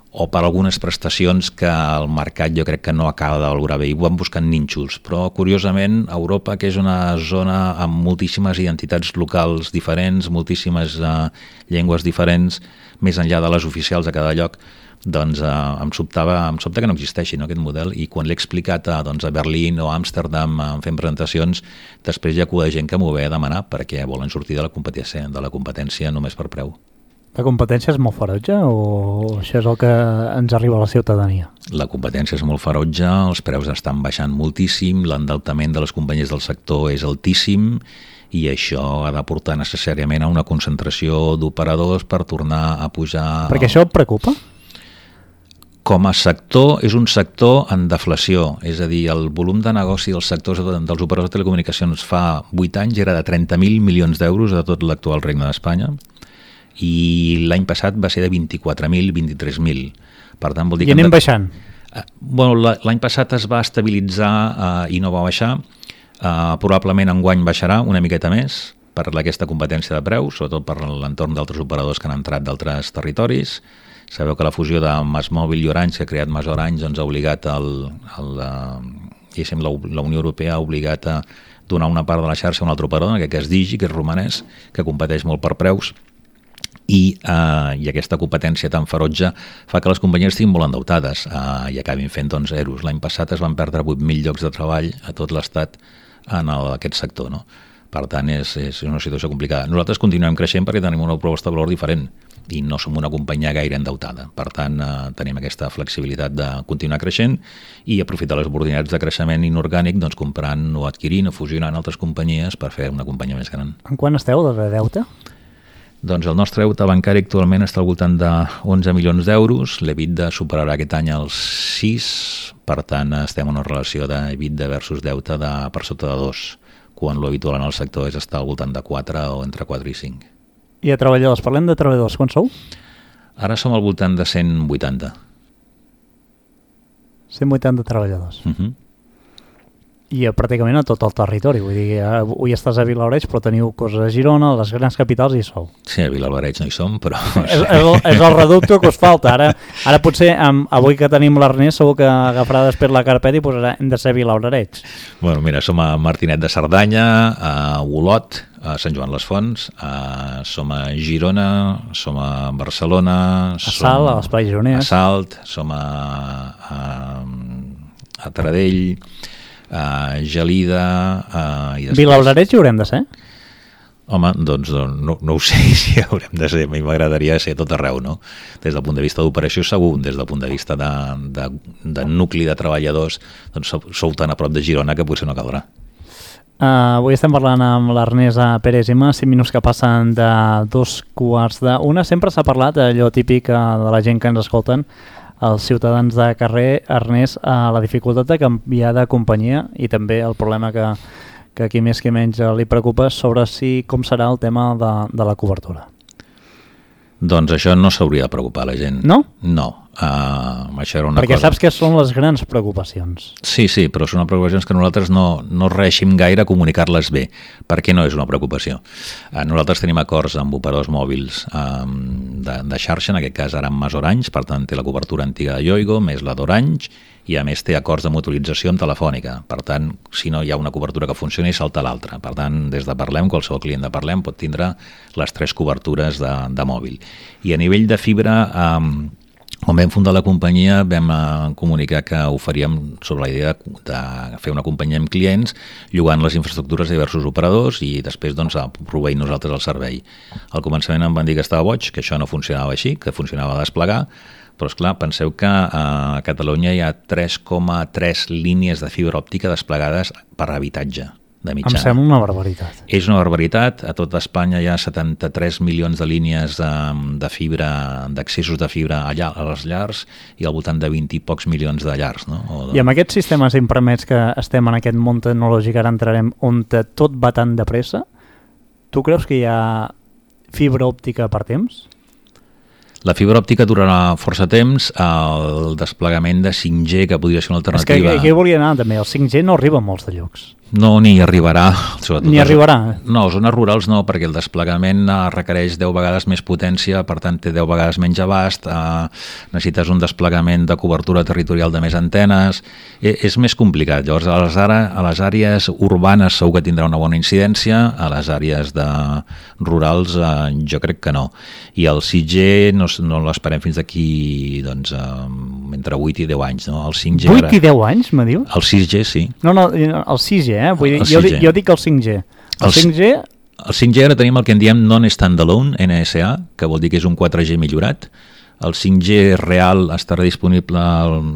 o per algunes prestacions que el mercat jo crec que no acaba de valorar bé, i van buscant nínxols. Però, curiosament, Europa, que és una zona amb moltíssimes identitats locals diferents, moltíssimes llengües diferents, més enllà de les oficials a cada lloc, doncs em sobta que no existeixi, no, aquest model, i quan l'he explicat a Berlín o a Amsterdam fent presentacions, després hi ha cua de gent que m'ho ve a demanar perquè volen sortir de la competència només per preu. La competència és molt ferotge o això és el que ens arriba a la ciutadania? La competència és molt ferotge, els preus estan baixant moltíssim, l'endeutament de les companyies del sector és altíssim, i això ha de portar necessàriament a una concentració d'operadors per tornar a pujar... Perquè això et preocupa? Com a sector, és un sector en deflació, és a dir, el volum de negoci dels sectors dels operadors de telecomunicacions fa 8 anys era de 30.000 milions d'euros de tot l'actual Regne d'Espanya, i l'any passat va ser de 24.000, 23.000. Per tant, vol dir I anem baixant? L'any passat es va estabilitzar i no va baixar. Probablement enguany baixarà una miqueta més per aquesta competència de preus, sobretot per l'entorn d'altres operadors que han entrat d'altres territoris. Sabeu que la fusió de MásMóvil i Orange, que ha creat MásOrange, doncs ha obligat la Unió Europea ha obligat a donar una part de la xarxa a un altre operador, en aquest cas Digi, que és romanès, que competeix molt per preus, i aquesta competència tan ferotge fa que les companyies estiguin molt endeutades i acabin fent zeros. L'any passat es van perdre 8.000 llocs de treball a tot l'Estat en aquest sector, no? Per tant, és una situació complicada. Nosaltres continuem creixent perquè tenim una proposta de valor diferent i no som una companyia gaire endeutada. Per tant, tenim aquesta flexibilitat de continuar creixent i aprofitar les oportunitats de creixement inorgànic, doncs comprant o adquirint o fusionant altres companyies per fer una companyia més gran. En quant esteu de deute? Doncs el nostre deute bancari actualment està al voltant de 11 milions d'euros, l'EBITDA superarà aquest any els 6, per tant estem en una relació d'EBITDA versus deute per sota de 2, quan l'habitual en el sector és estar al voltant de 4 o entre 4 i 5. I a treballadors, parlem de treballadors, quants sou? Ara som al voltant de 180. 180 treballadors. I pràcticament a tot el territori, vull dir, avui estàs a Vilablareix però teniu coses a Girona, a les grans capitals hi sou. Sí, a Vilablareix no hi som, però... és el reducte que us falta, ara potser avui que tenim l'Ernest segur que agafarà després la carpeta i posarà hem de ser Vilablareix. Bueno, mira, som a Martinet de Cerdanya, a Olot, a Sant Joan les Fonts, som a Girona, som a Barcelona, a Salt, a l'Espai Gironès, a Salt, som a Taradell, Gelida... Vilablareix hi haurem de ser? Home, doncs no ho sé si haurem de ser. A mi m'agradaria ser tot arreu, no? Des del punt de vista d'operació segur, des del punt de vista de nucli de treballadors, doncs sou tan a prop de Girona que potser no caldrà. Avui estem parlant amb l'Ernest Pérez Ima, 5 minuts que passen de 2:15. Sempre s'ha parlat, allò típic de la gent que ens escolten, als ciutadans de carrer, Ernest, la dificultat de canviar de companyia i també el problema que aquí més que menys li preocupa sobre com serà el tema de la cobertura. Doncs això no s'hauria de preocupar la gent. No? No. Això era una Perquè cosa... saps que són les grans preocupacions. Sí, però són preocupacions que nosaltres no reeixim gaire a comunicar-les bé, perquè no és una preocupació. Nosaltres tenim acords amb operadors mòbils de xarxa, en aquest cas ara amb Orange, per tant té la cobertura antiga de Yoigo, més la d'Orange, i a més té acords de mutualització amb Telefònica. Per tant, si no hi ha una cobertura que funcioni, salta l'altra. Per tant, des de Parlem, qualsevol client de Parlem pot tindre les 3 cobertures de mòbil. I a nivell de fibra... Quan vam fundar la companyia vam comunicar que oferíem sobre la idea de fer una companyia amb clients llogant les infraestructures de diversos operadors i després proveir nosaltres el servei. Al començament em van dir que estava boig, que això no funcionava així, que funcionava a desplegar, però esclar, penseu que a Catalunya hi ha 3,3 línies de fibra òptica desplegades per habitatge de mitjana. Em sembla una barbaritat. És una barbaritat. A tota Espanya hi ha 73 milions de línies de fibra, d'accessos de fibra a les llars i al voltant de 20 i pocs milions de llars. No? I amb aquests sistemes impermets que estem en aquest món tecnològic, ara entrarem on tot va tan de pressa, tu creus que hi ha fibra òptica per temps? La fibra òptica durarà força temps, el desplegament de 5G, que podria ser una alternativa... És que aquí volia anar també, el 5G no arriba a molts de llocs. No, ni arribarà. Ni arribarà? No, a zones rurals no, perquè el desplegament requereix 10 vegades més potència, per tant té 10 vegades menys abast, necessites un desplegament de cobertura territorial de més antenes, és més complicat. Llavors, a les àrees urbanes segur que tindrà una bona incidència, a les àrees rurals jo crec que no. I el 5G no l'esperem fins d'aquí entre 8 i 10 anys. No? El 5G 8 i 10 anys, me dius? El 6G, sí. No, el 6G, Vull dir, jo dic el 5G. El 5G ara tenim el que en diem non-standalone, NSA, que vol dir que és un 4G millorat. El 5G real estarà disponible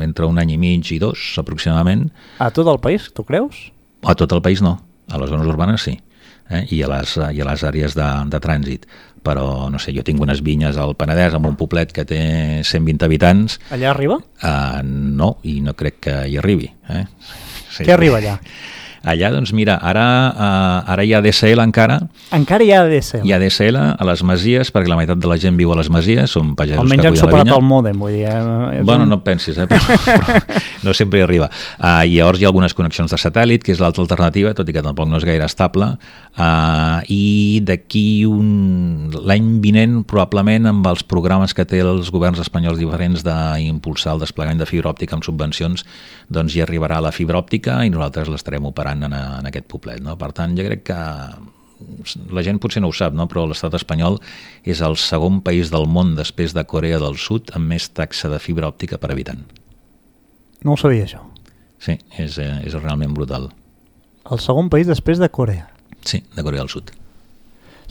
entre 1 any i mig i 2, aproximadament. A tot el país, tu creus? A tot el país no, a les zones urbanes sí, i a les àrees de trànsit. Però, no sé, jo tinc unes vinyes al Penedès amb un poblet que té 120 habitants. Allà arriba? No, i no crec que hi arribi. Sí. Què arriba allà? Allà, doncs mira, ara hi ha DSL encara. Encara hi ha DSL? Hi ha DSL a les Masies, perquè la meitat de la gent viu a les Masies, són pagesos que cuiden la vinya. Almenys han superat el mòdem, vull dir. Bueno, no et pensis, però no sempre hi arriba. I llavors hi ha algunes connexions de satèl·lit, que és l'altra alternativa, tot i que tampoc no és gaire estable. I d'aquí l'any vinent, probablement, amb els programes que té els governs espanyols diferents d'impulsar el desplegament de fibra òptica amb subvencions, doncs hi arribarà la fibra òptica i nosaltres l'estarem operant en aquest poblet. No? Per tant, jo crec que la gent potser no ho sap, no? Però l'estat espanyol és el segon país del món després de Corea del Sud amb més taxa de fibra òptica per habitant. No ho sabia, això. Sí, és realment brutal. El segon país després de Corea? Sí, de Corea del Sud.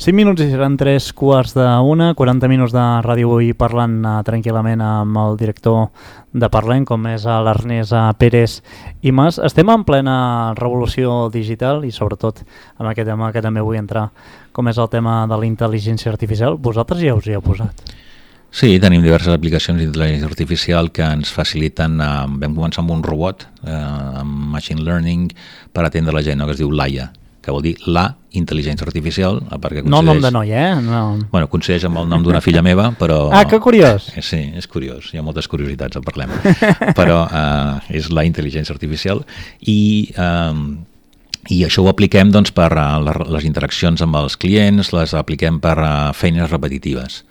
5 minuts i seran 3:45, 40 minuts de Ràdio Avui parlant tranquil·lament amb el director de Parlem, com és l'Ernest Pérez i Mas. Estem en plena revolució digital i sobretot amb aquest tema que també vull entrar, com és el tema de la intel·ligència artificial. Vosaltres ja us hi heu posat? Sí, tenim diverses aplicacions d'intel·ligència artificial que ens faciliten. Vam començar amb un robot amb machine learning per atendre la gent, no? Que es diu Laia, que vol dir la intel·ligència artificial, perquè no el nom de noi, No. Bueno, coincideix amb el nom d'una filla meva, però... Ah, que curiós! Sí, és curiós, hi ha moltes curiositats, en parlem. Però és la intel·ligència artificial i això ho apliquem doncs, per les interaccions amb els clients, les apliquem per feines repetitives.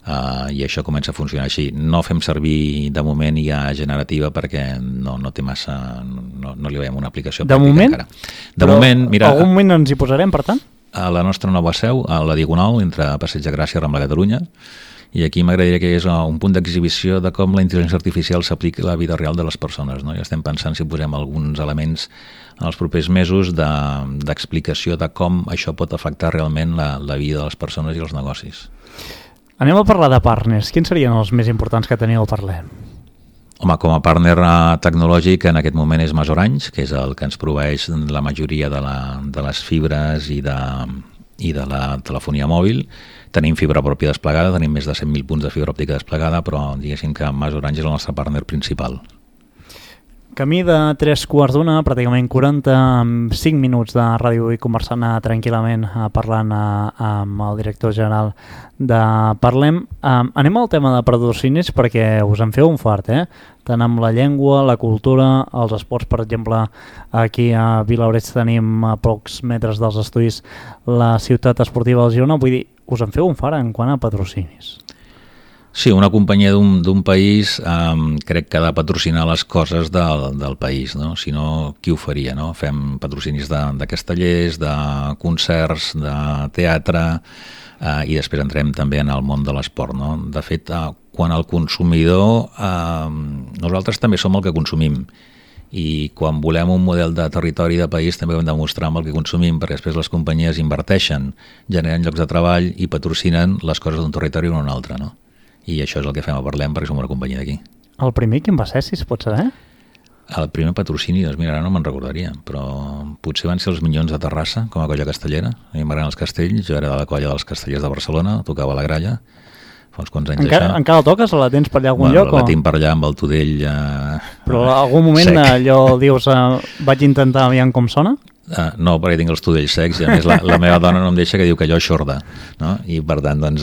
I això comença a funcionar així. No fem servir de moment IA generativa perquè no té massa, no li veiem una aplicació pràctica encara. De moment, mira, algun moment ens hi posarem, per tant? A la nostra nova seu, a la Diagonal, entre Passeig de Gràcia i Rambla Catalunya, i aquí m'agradaria que és un punt d'exhibició de com la intel·ligència artificial s'aplica a la vida real de les persones. No? I estem pensant si posem alguns elements en els propers mesos d'explicació de com això pot afectar realment la vida de les persones i els negocis. Anem a parlar de partners. Quins serien els més importants que teniu a Parlem? Home, com a partner tecnològic en aquest moment és Orange, que és el que ens proveeix la majoria de les fibres i de la telefonia mòbil. Tenim fibra pròpia desplegada, tenim més de 100.000 punts de fibra òptica desplegada, però diguéssim que Mas Orange és el nostre partner principal. Camí de 3:15, pràcticament 45 minuts de ràdio i conversant tranquil·lament, parlant amb el director general de Parlem. Anem al tema de patrocinis perquè us en feu un fart, tant amb la llengua, la cultura, els esports. Per exemple, aquí a Vilaoreig tenim a pocs metres dels estudis la ciutat esportiva del Girona. Vull dir, us en feu un fart en quant a patrocinis. Sí, una companyia d'un país crec que ha de patrocinar les coses del país, no? Si no, qui ho faria, no? Fem patrocinis de castellers, de concerts, de teatre, i després entrem també en el món de l'esport, no? De fet, quan el consumidor, nosaltres també som el que consumim, i quan volem un model de territori de país també ho hem de mostrar amb el que consumim, perquè després les companyies inverteixen, generen llocs de treball i patrocinen les coses d'un territori o d'un altre, no? I això és el que fem a Parlem, perquè som una companyia d'aquí. El primer quin va ser, si es pot saber? El primer patrocini, doncs mira, ara no me'n recordaria, però potser van ser els Minyons de Terrassa, com a colla castellera. A mi m'agraden els castells, jo era de la colla dels castellers de Barcelona, tocava la gralla, fa uns quants anys això. Encara la toques o la tens per allà algun lloc? La tinc per allà amb el Tudell però en algun moment allò dius, vaig intentar aviam com sona? No, perquè tinc els tudells secs i a més la meva dona no em deixa, que diu que allò és xorda, no? I per tant, doncs...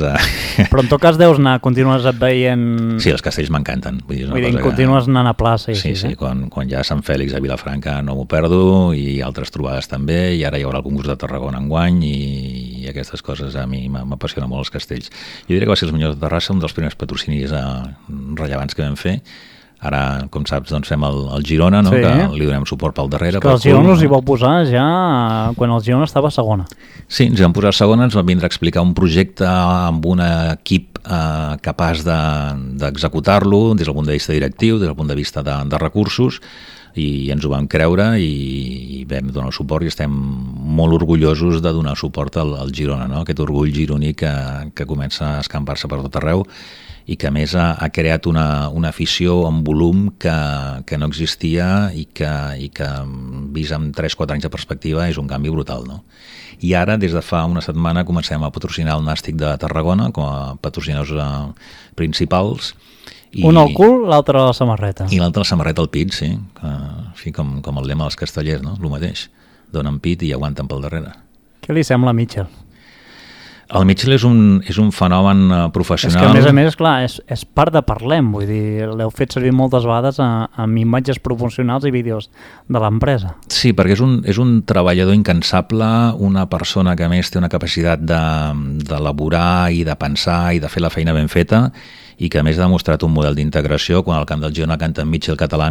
Però en tot cas deus anar, continues veient... Sí, els castells m'encanten. Vull dir, continues anant a plaça. Sí, quan hi ha Sant Fèlix a Vilafranca no m'ho perdo, i altres trobades també, i ara hi haurà el concurs de Tarragona enguany, i aquestes coses a mi m'apassionen molt els castells. Jo diria que va ser els Minyons de Terrassa, un dels primers patrocinis rellevants que vam fer. Ara, com saps, doncs fem el Girona, no? Sí. Que li donem suport pel darrere. Que el Girona us hi vau posar ja quan el Girona estava a segona. Sí, ens hi vam posar a segona, ens van vindre a explicar un projecte amb un equip capaç d'executar-lo des del punt de vista directiu, des del punt de vista de recursos, i ens ho vam creure i vam donar suport, i estem molt orgullosos de donar suport al Girona, no? Aquest orgull gironí que comença a escampar-se per tot arreu, i que a més ha creat una afició en volum que no existia i que vist amb 3-4 anys de perspectiva és un canvi brutal, no? I ara, des de fa una setmana, comencem a patrocinar el Nàstic de Tarragona com a patrocinadors principals. Un al cul, l'altre a la samarreta. I l'altre a la samarreta al pit, sí. Com el lema dels castellers, no? El mateix. Donen pit i aguanten pel darrere. Què li sembla a Mitchell? El Mitchell és un fenomen professional. És que, a més, clar, és part de Parlem, vull dir, l'heu fet servir moltes vegades amb imatges promocionals i vídeos de l'empresa. Sí, perquè és un treballador incansable, una persona que a més té una capacitat d'elaborar i de pensar i de fer la feina ben feta, i que a més ha demostrat un model d'integració. Quan al camp del Girona canten Mitchell català,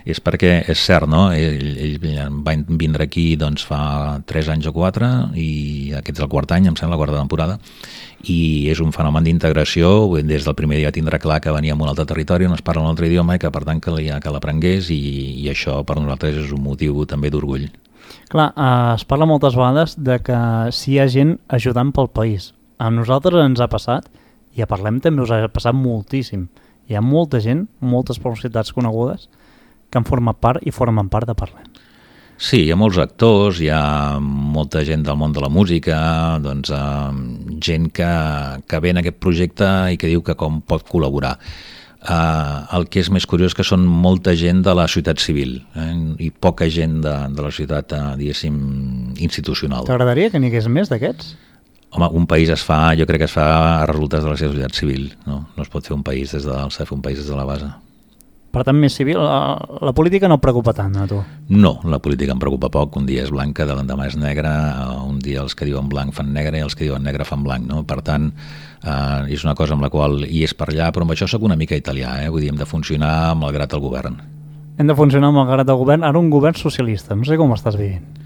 és perquè és cert, no? Ell va vindre aquí doncs, fa 3 anys o 4, i aquest és el quart any, em sembla, la quarta temporada, i és un fenomen d'integració. Des del primer dia tindrà clar que venia a un altre territori on es parla un altre idioma i que per tant que l'aprengués, i això per nosaltres és un motiu també d'orgull. Clar, es parla moltes vegades de que si hi ha gent ajudant pel país. A nosaltres ens ha passat, i a Parlem també us ha passat moltíssim. Hi ha molta gent, moltes personalitats conegudes que han format part i formen part de Parlem. Sí, hi ha molts actors, hi ha molta gent del món de la música, doncs, gent que ve en aquest projecte i que diu que com pot col·laborar. El que és més curiós és que són molta gent de la societat civil, i poca gent de la societat, diguéssim, institucional. T'agradaria que n'hi hagués més d'aquests? Home, un país jo crec que es fa a resultats de la societat civil, no? No es pot fer un país des de dalt, s'ha de fer un país des de la base. Per tant, més civil, la política no et preocupa tant, a tu? No, la política em preocupa poc. Un dia és blanca, de l'endemà és negre, un dia els que diuen blanc fan negre i els que diuen negre fan blanc, no? Per tant, és una cosa amb la qual hi és per allà, però amb això soc una mica italià, vull dir, hem de funcionar malgrat el govern. Hem de funcionar malgrat el govern, ara un govern socialista, no sé com estàs vivint.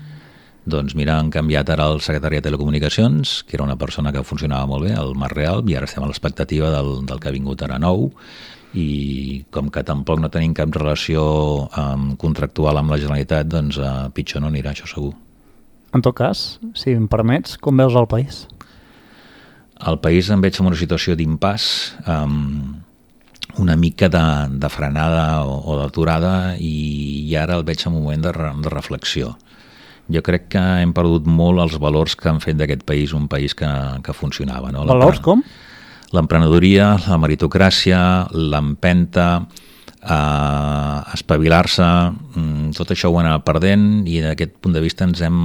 Doncs mira, han canviat ara el secretari de Telecomunicacions, que era una persona que funcionava molt bé, el Marc Real, i ara estem a l'expectativa del que ha vingut ara nou, i com que tampoc no tenim cap relació contractual amb la Generalitat, doncs pitjor no anirà, això segur. En tot cas, si em permets, com veus el país? El país em veig en una situació d'impàs, una mica de frenada o d'aturada, i ara el veig en un moment de reflexió. Jo crec que hem perdut molt els valors que han fet d'aquest país un país que funcionava. No? Valors com? L'emprenedoria, la meritocràcia, l'empenta, espavilar-se, tot això ho hem anat perdent i d'aquest punt de vista ens hem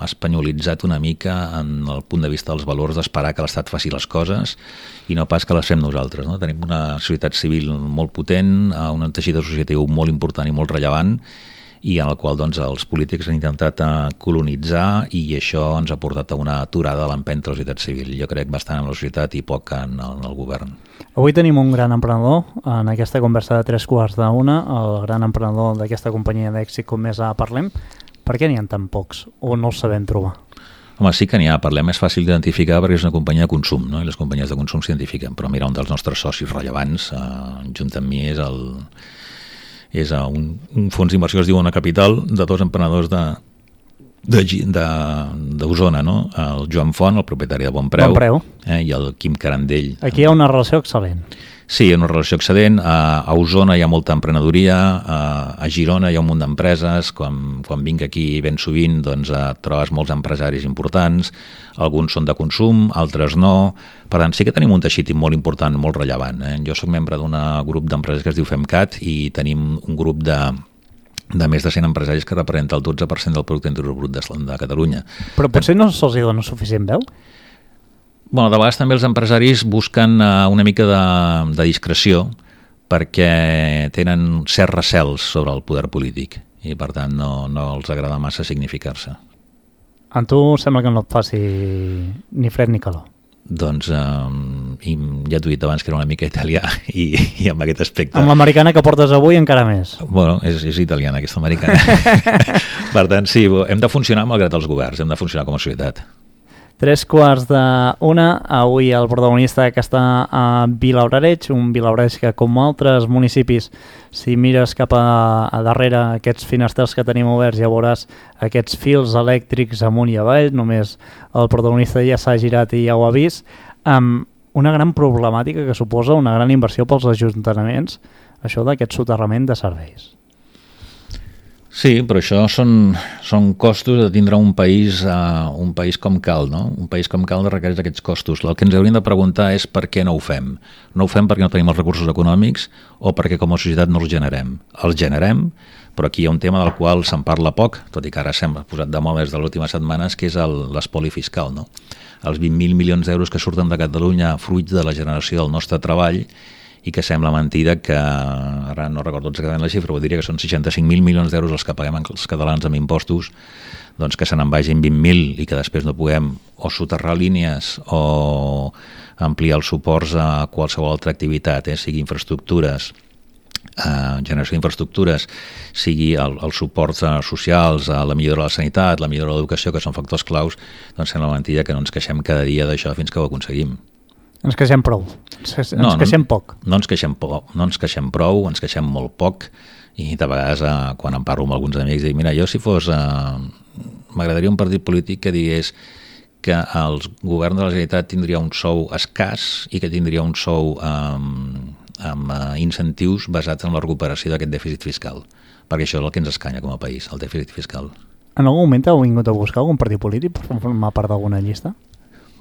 espanyolitzat una mica en el punt de vista dels valors d'esperar que l'Estat faci les coses i no pas que les fem nosaltres. No? Tenim una societat civil molt potent, un teixit associatiu molt important i molt rellevant i en el qual doncs, els polítics han intentat colonitzar i això ens ha portat a una aturada de l'empenta de la societat civil. Jo crec bastant en la societat i poc en el govern. Avui tenim un gran emprenedor en aquesta conversa de 3:15, el gran emprenedor d'aquesta companyia d'èxit com més parlem. Per què n'hi ha tan pocs o no els sabem trobar? Home, sí que n'hi ha, parlem, és fàcil d'identificar perquè és una companyia de consum, no? I les companyies de consum s'identifiquen, però mira, un dels nostres socis rellevants, junt amb mi, és un fons d'inversió que es diu Ona Capital, de dos emprenedors d'Osona, no? El Joan Font, el propietari de Bon Preu. I el Quim Carandell. Aquí hi ha una relació excel·lent. Sí, hi ha una relació excel·lent. A Osona hi ha molta emprenedoria, a Girona hi ha un munt d'empreses. Quan vinc aquí ben sovint doncs, trobes molts empresaris importants, alguns són de consum, altres no. Per tant, sí que tenim un teixit molt important, molt rellevant. Jo soc membre d'un grup d'empreses que es diu FEMCAT i tenim un grup de més de 100 empresaris que representa el 12% del producte interior brut de Catalunya. Però potser no se'ls dona suficient veu? Bueno, de vegades també els empresaris busquen una mica de discreció perquè tenen certs recels sobre el poder polític i per tant no els agrada massa significar-se. A tu sembla que no et faci ni fred ni calor. Doncs ja t'ho he dit abans que era una mica italià i amb aquest aspecte... Amb l'americana que portes avui encara més. Bueno, és italiana aquesta americana. Per tant, sí, hem de funcionar malgrat els governs, hem de funcionar com a societat. 3:15, avui el protagonista que està a Vilablareix, un Vilablareix que com altres municipis, si mires cap a darrere aquests finestrals que tenim oberts ja veuràs aquests fils elèctrics amunt i avall, només el protagonista ja s'ha girat i ja ho ha vist, amb una gran problemàtica que suposa una gran inversió pels ajuntaments, això d'aquest soterrament de serveis. Sí, però això són costos de tindre un país com cal, no? Un país com cal requereix aquests costos. El que ens hauríem de preguntar és per què no ho fem. No ho fem perquè no tenim els recursos econòmics o perquè com a societat no els generem. Els generem, però aquí hi ha un tema del qual se'n parla poc, tot i que ara s'ha posat de moda des de les últimes setmanes, que és l'espoli fiscal, no? Els 20.000 milions d'euros que surten de Catalunya fruit de la generació del nostre treball i que sembla mentida que, ara no recordo exactament la xifra, diria que són 65.000 milions d'euros els que paguem els catalans amb impostos, doncs que se n'en vagin 20.000 i que després no puguem o soterrar línies o ampliar els suports a qualsevol altra activitat, sigui infraestructures, generació d'infraestructures, sigui els suports socials, la millora de la sanitat, la millora de l'educació, que són factors claus, doncs sembla mentida que no ens queixem cada dia d'això fins que ho aconseguim. Ens queixem prou, ens queixem poc. No ens queixem prou, ens queixem molt poc i de vegades quan em parlo amb alguns amics dic, mira, jo si fos... m'agradaria un partit polític que digués que el govern de la Generalitat tindria un sou escàs i que tindria un sou amb incentius basats en la recuperació d'aquest dèficit fiscal, perquè això és el que ens escanya com a país, el dèficit fiscal. En algun moment heu vingut a buscar algun partit polític per formar part d'alguna llista?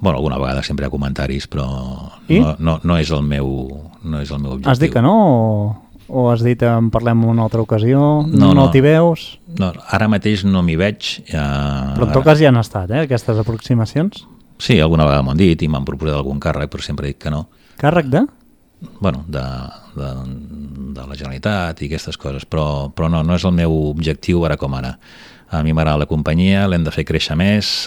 Bueno, alguna vegada sempre hi ha comentaris, però no és el meu objectiu. Has dit que no o has dit en parlem en una altra ocasió? No t'hi veus? No, ara mateix no m'hi veig. Però en tot cas ja han estat, aquestes aproximacions? Sí, alguna vegada m'ho han dit i m'han proposat algun càrrec, però sempre dic que no. Càrrec de? Bueno, de la Generalitat i aquestes coses, però no és el meu objectiu ara com ara. A mi m'agrada la companyia, l'hem de fer créixer més,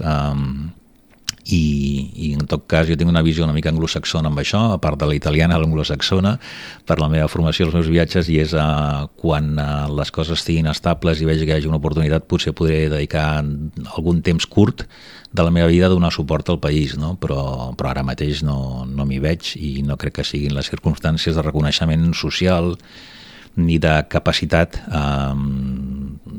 i en tot cas jo tinc una visió una mica anglosaxona amb això, a part de la italiana, l'anglosaxona, per la meva formació, els meus viatges, i és quan les coses estiguin estables i vegi que hi hagi una oportunitat, potser podré dedicar algun temps curt de la meva vida a donar suport al país, no? Però ara mateix no m'hi veig i no crec que siguin les circumstàncies de reconeixement social ni de capacitat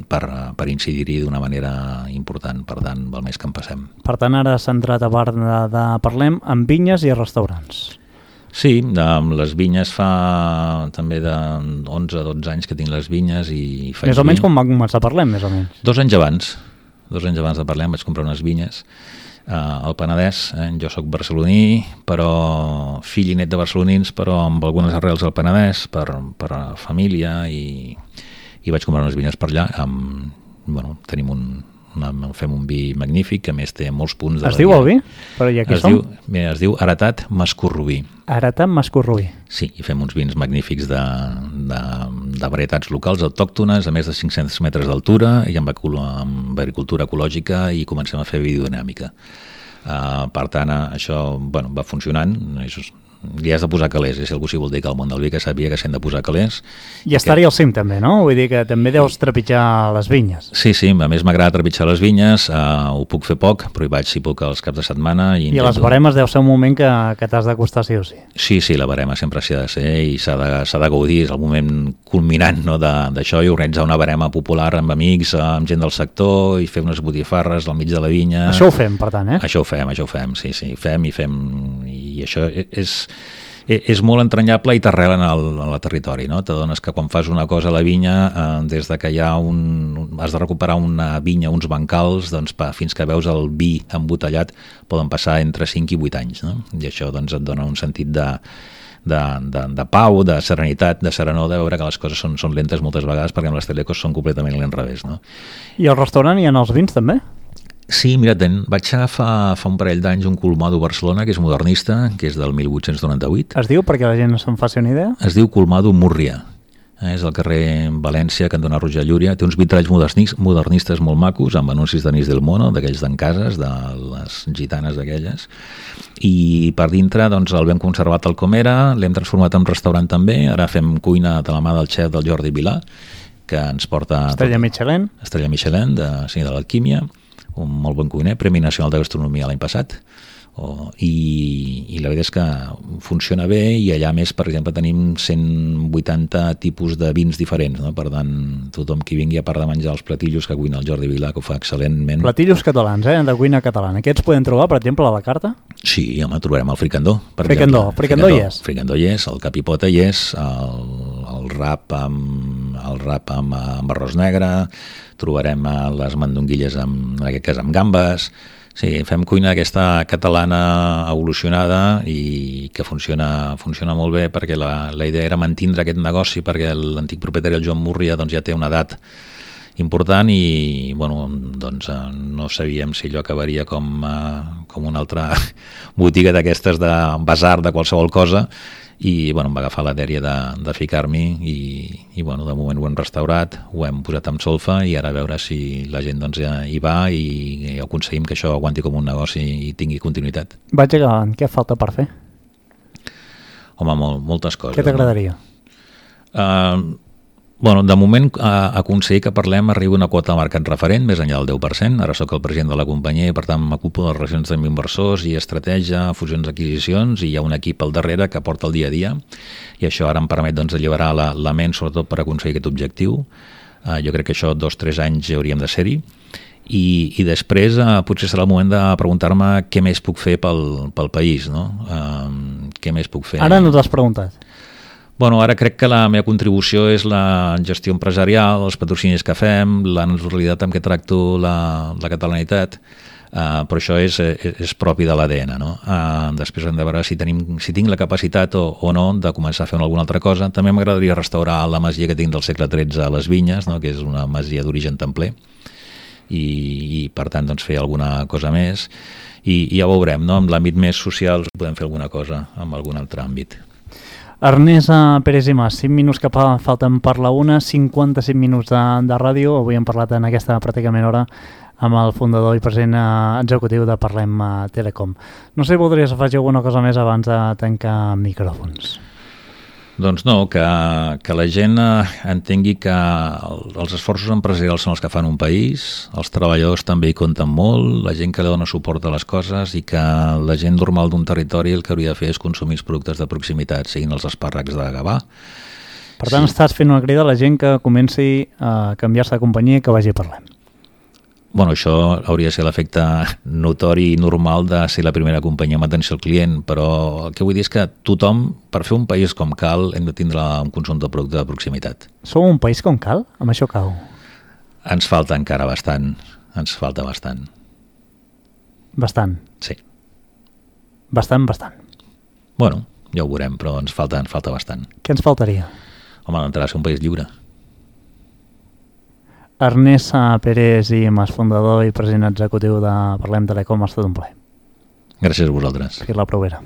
per incidir-hi d'una manera important, per tant, val més que en passem. Per tant, ara centrat a part de parlem amb vinyes i restaurants. Sí, les vinyes fa també de 11 o 12 anys que tinc les vinyes i faig més o menys quan va començar a parlem, més o menys. 2 anys abans. 2 anys abans de parlar vaig comprar unes vinyes al Penedès. Jo sóc barceloní, però fill i net de barcelonins, però amb algunes arrels al Penedès per família, i vaig comprar unes vinyes per allà. Tenim fem un vi magnífic, que a més té molts punts de... Es diu el vi? Però ja aquí som? Es diu Heretat Mascorrubí. Heretat Mascorrubí. Sí, i fem uns vins magnífics de varietats locals autòctones a més de 500 metres d'altura i amb agricultura ecològica, i comencem a fer biodinàmica. Per tant, això va funcionant. Li has de posar calés, si algú s'hi vol dir que al món del vi que sàpiga que s'han de posar calés. I estar-hi al cim també, no? Vull dir que també deus trepitjar les vinyes. Sí, a més m'agrada trepitjar les vinyes, ho puc fer poc, però hi vaig si puc els caps de setmana. I a les baremes deu ser un moment que t'has d'acostar sí o sí. Sí, la barema sempre s'hi ha de ser i s'ha de gaudir, és el moment culminant d'això, i organitzar una barema popular amb amics, amb gent del sector, i fer unes botifarres al mig de la vinya. Això ho fem, per tant, eh? Això ho fem, sí, fem, i això és molt entranyable i t'arrela en el territori, no? T'adones que quan fas una cosa a la vinya, des de que has de recuperar una vinya, uns bancals, doncs fins que veus el vi embotellat poden passar entre 5 i 8 anys, no? I això et dona un sentit de pau, de serenitat, de serenor, de veure que les coses són lentes moltes vegades, perquè amb les telecos són completament l'inrevés, no? I al restaurant hi ha els vins també? Sí, mira, vaig agafar fa un parell d'anys un Colmado Barcelona, que és modernista, que és del 1898. Es diu, perquè la gent no se'n faci una idea? Es diu Colmado Múrria. És al carrer València, cantonada Roger Llúria. Té uns vitralls modernistes molt macos, amb anuncis d'Anís del Mono, d'aquells d'en Cases, de les gitanes d'aquelles. I per dintre el vam conservar tal com era, l'hem transformat en restaurant també. Ara fem cuina de la mà del xef del Jordi Vilà, que ens porta... Estrella Michelin. Estrella Michelin, de l'Alquímia. Un molt bon cuiner, Premi Nacional de Gastronomia l'any passat, i la veritat és que funciona bé, i allà més, per exemple, tenim 180 tipus de vins diferents, no? Per tant, tothom qui vingui, a part de menjar els platillos que cuina el Jordi Vilà, que ho fa excel·lentment. Platillos catalans, de cuina catalana. Aquests podem trobar, per exemple, a la carta? Sí, home, trobarem el fricandó. Fricandó hi és? Fricandó hi és, el capipota hi és, el rap amb arròs negre, trobarem les mandonguilles en aquest cas amb gambes. Sí, fem cuina aquesta catalana evolucionada i que funciona molt bé, perquè la idea era mantindre aquest negoci, perquè l'antic propietari, el Joan Múrria, ja té una edat important i no sabíem si allò acabaria com una altra botiga d'aquestes de basar de qualsevol cosa, i em va agafar la dèria de ficar-m'hi, i de moment ho hem restaurat, ho hem posat amb solfa, i ara a veure si la gent hi va i aconseguim que això aguanti com un negoci i tingui continuïtat. Vaig acabant, què falta per fer? Home, moltes coses. Què t'agradaria? De moment aconseguir que parlem arribi una quota de mercat referent més enllà del 10%. Ara sóc el president de la companyia i per tant m'ocupo de les relacions amb inversors i estratègia, fusions, adquisicions, i hi ha un equip al darrere que porta el dia a dia, i això ara em permet alliberar la ment sobretot per aconseguir aquest objectiu. Jo crec que això 2-3 anys ja hauríem de ser-hi, i després potser serà el moment de preguntar-me què més puc fer pel país, no? Què més puc fer? Ara no t'has preguntat. Ara crec que la meva contribució és la gestió empresarial, els patrocinis que fem, la naturalitat amb què tracto la catalanitat, però això és propi de l'ADN, no? Després hem de veure si tinc la capacitat o no de començar a fer alguna altra cosa. També m'agradaria restaurar la masia que tinc del segle XIII a les Vinyes, no? Que és una masia d'origen templer, i per tant fer alguna cosa més, i ja ho veurem, no? En l'àmbit més social podem fer alguna cosa en algun altre àmbit. Ernest Pérez i Mas, 5 minuts que falten per la 1, 55 minuts de ràdio. Avui hem parlat en aquesta pràcticament hora amb el fundador i president executiu de Parlem Telecom. No sé si voldries afegir alguna cosa més abans de tancar micròfons. Doncs no, que la gent entengui que els esforços empresarials són els que fan un país, els treballadors també hi compten molt, la gent que li dona suport a les coses, i que la gent normal d'un territori el que hauria de fer és consumir els productes de proximitat, siguin els espàrrecs de Gavà. Per tant, estàs fent una crida a la gent que comenci a canviar-se de companyia i que vagi a Parlem. Això hauria de ser l'efecte notori i normal de ser la primera companyia amb atenció al client, però el que vull dir és que tothom, per fer un país com cal, hem de tindre un consum de producte de proximitat. Som un país com cal? Amb això cau? Ens falta encara bastant. ens falta bastant. Bastant. Sí. Bastant. Bueno, ja ho veurem, però ens falta bastant. Què ens faltaria? Home, d'entrada ser un país lliure. Ernest Pérez i Mas, fundador i president executiu de Parlem Telecom, ha estat un plaer. Gràcies a vosaltres. Fins la propera.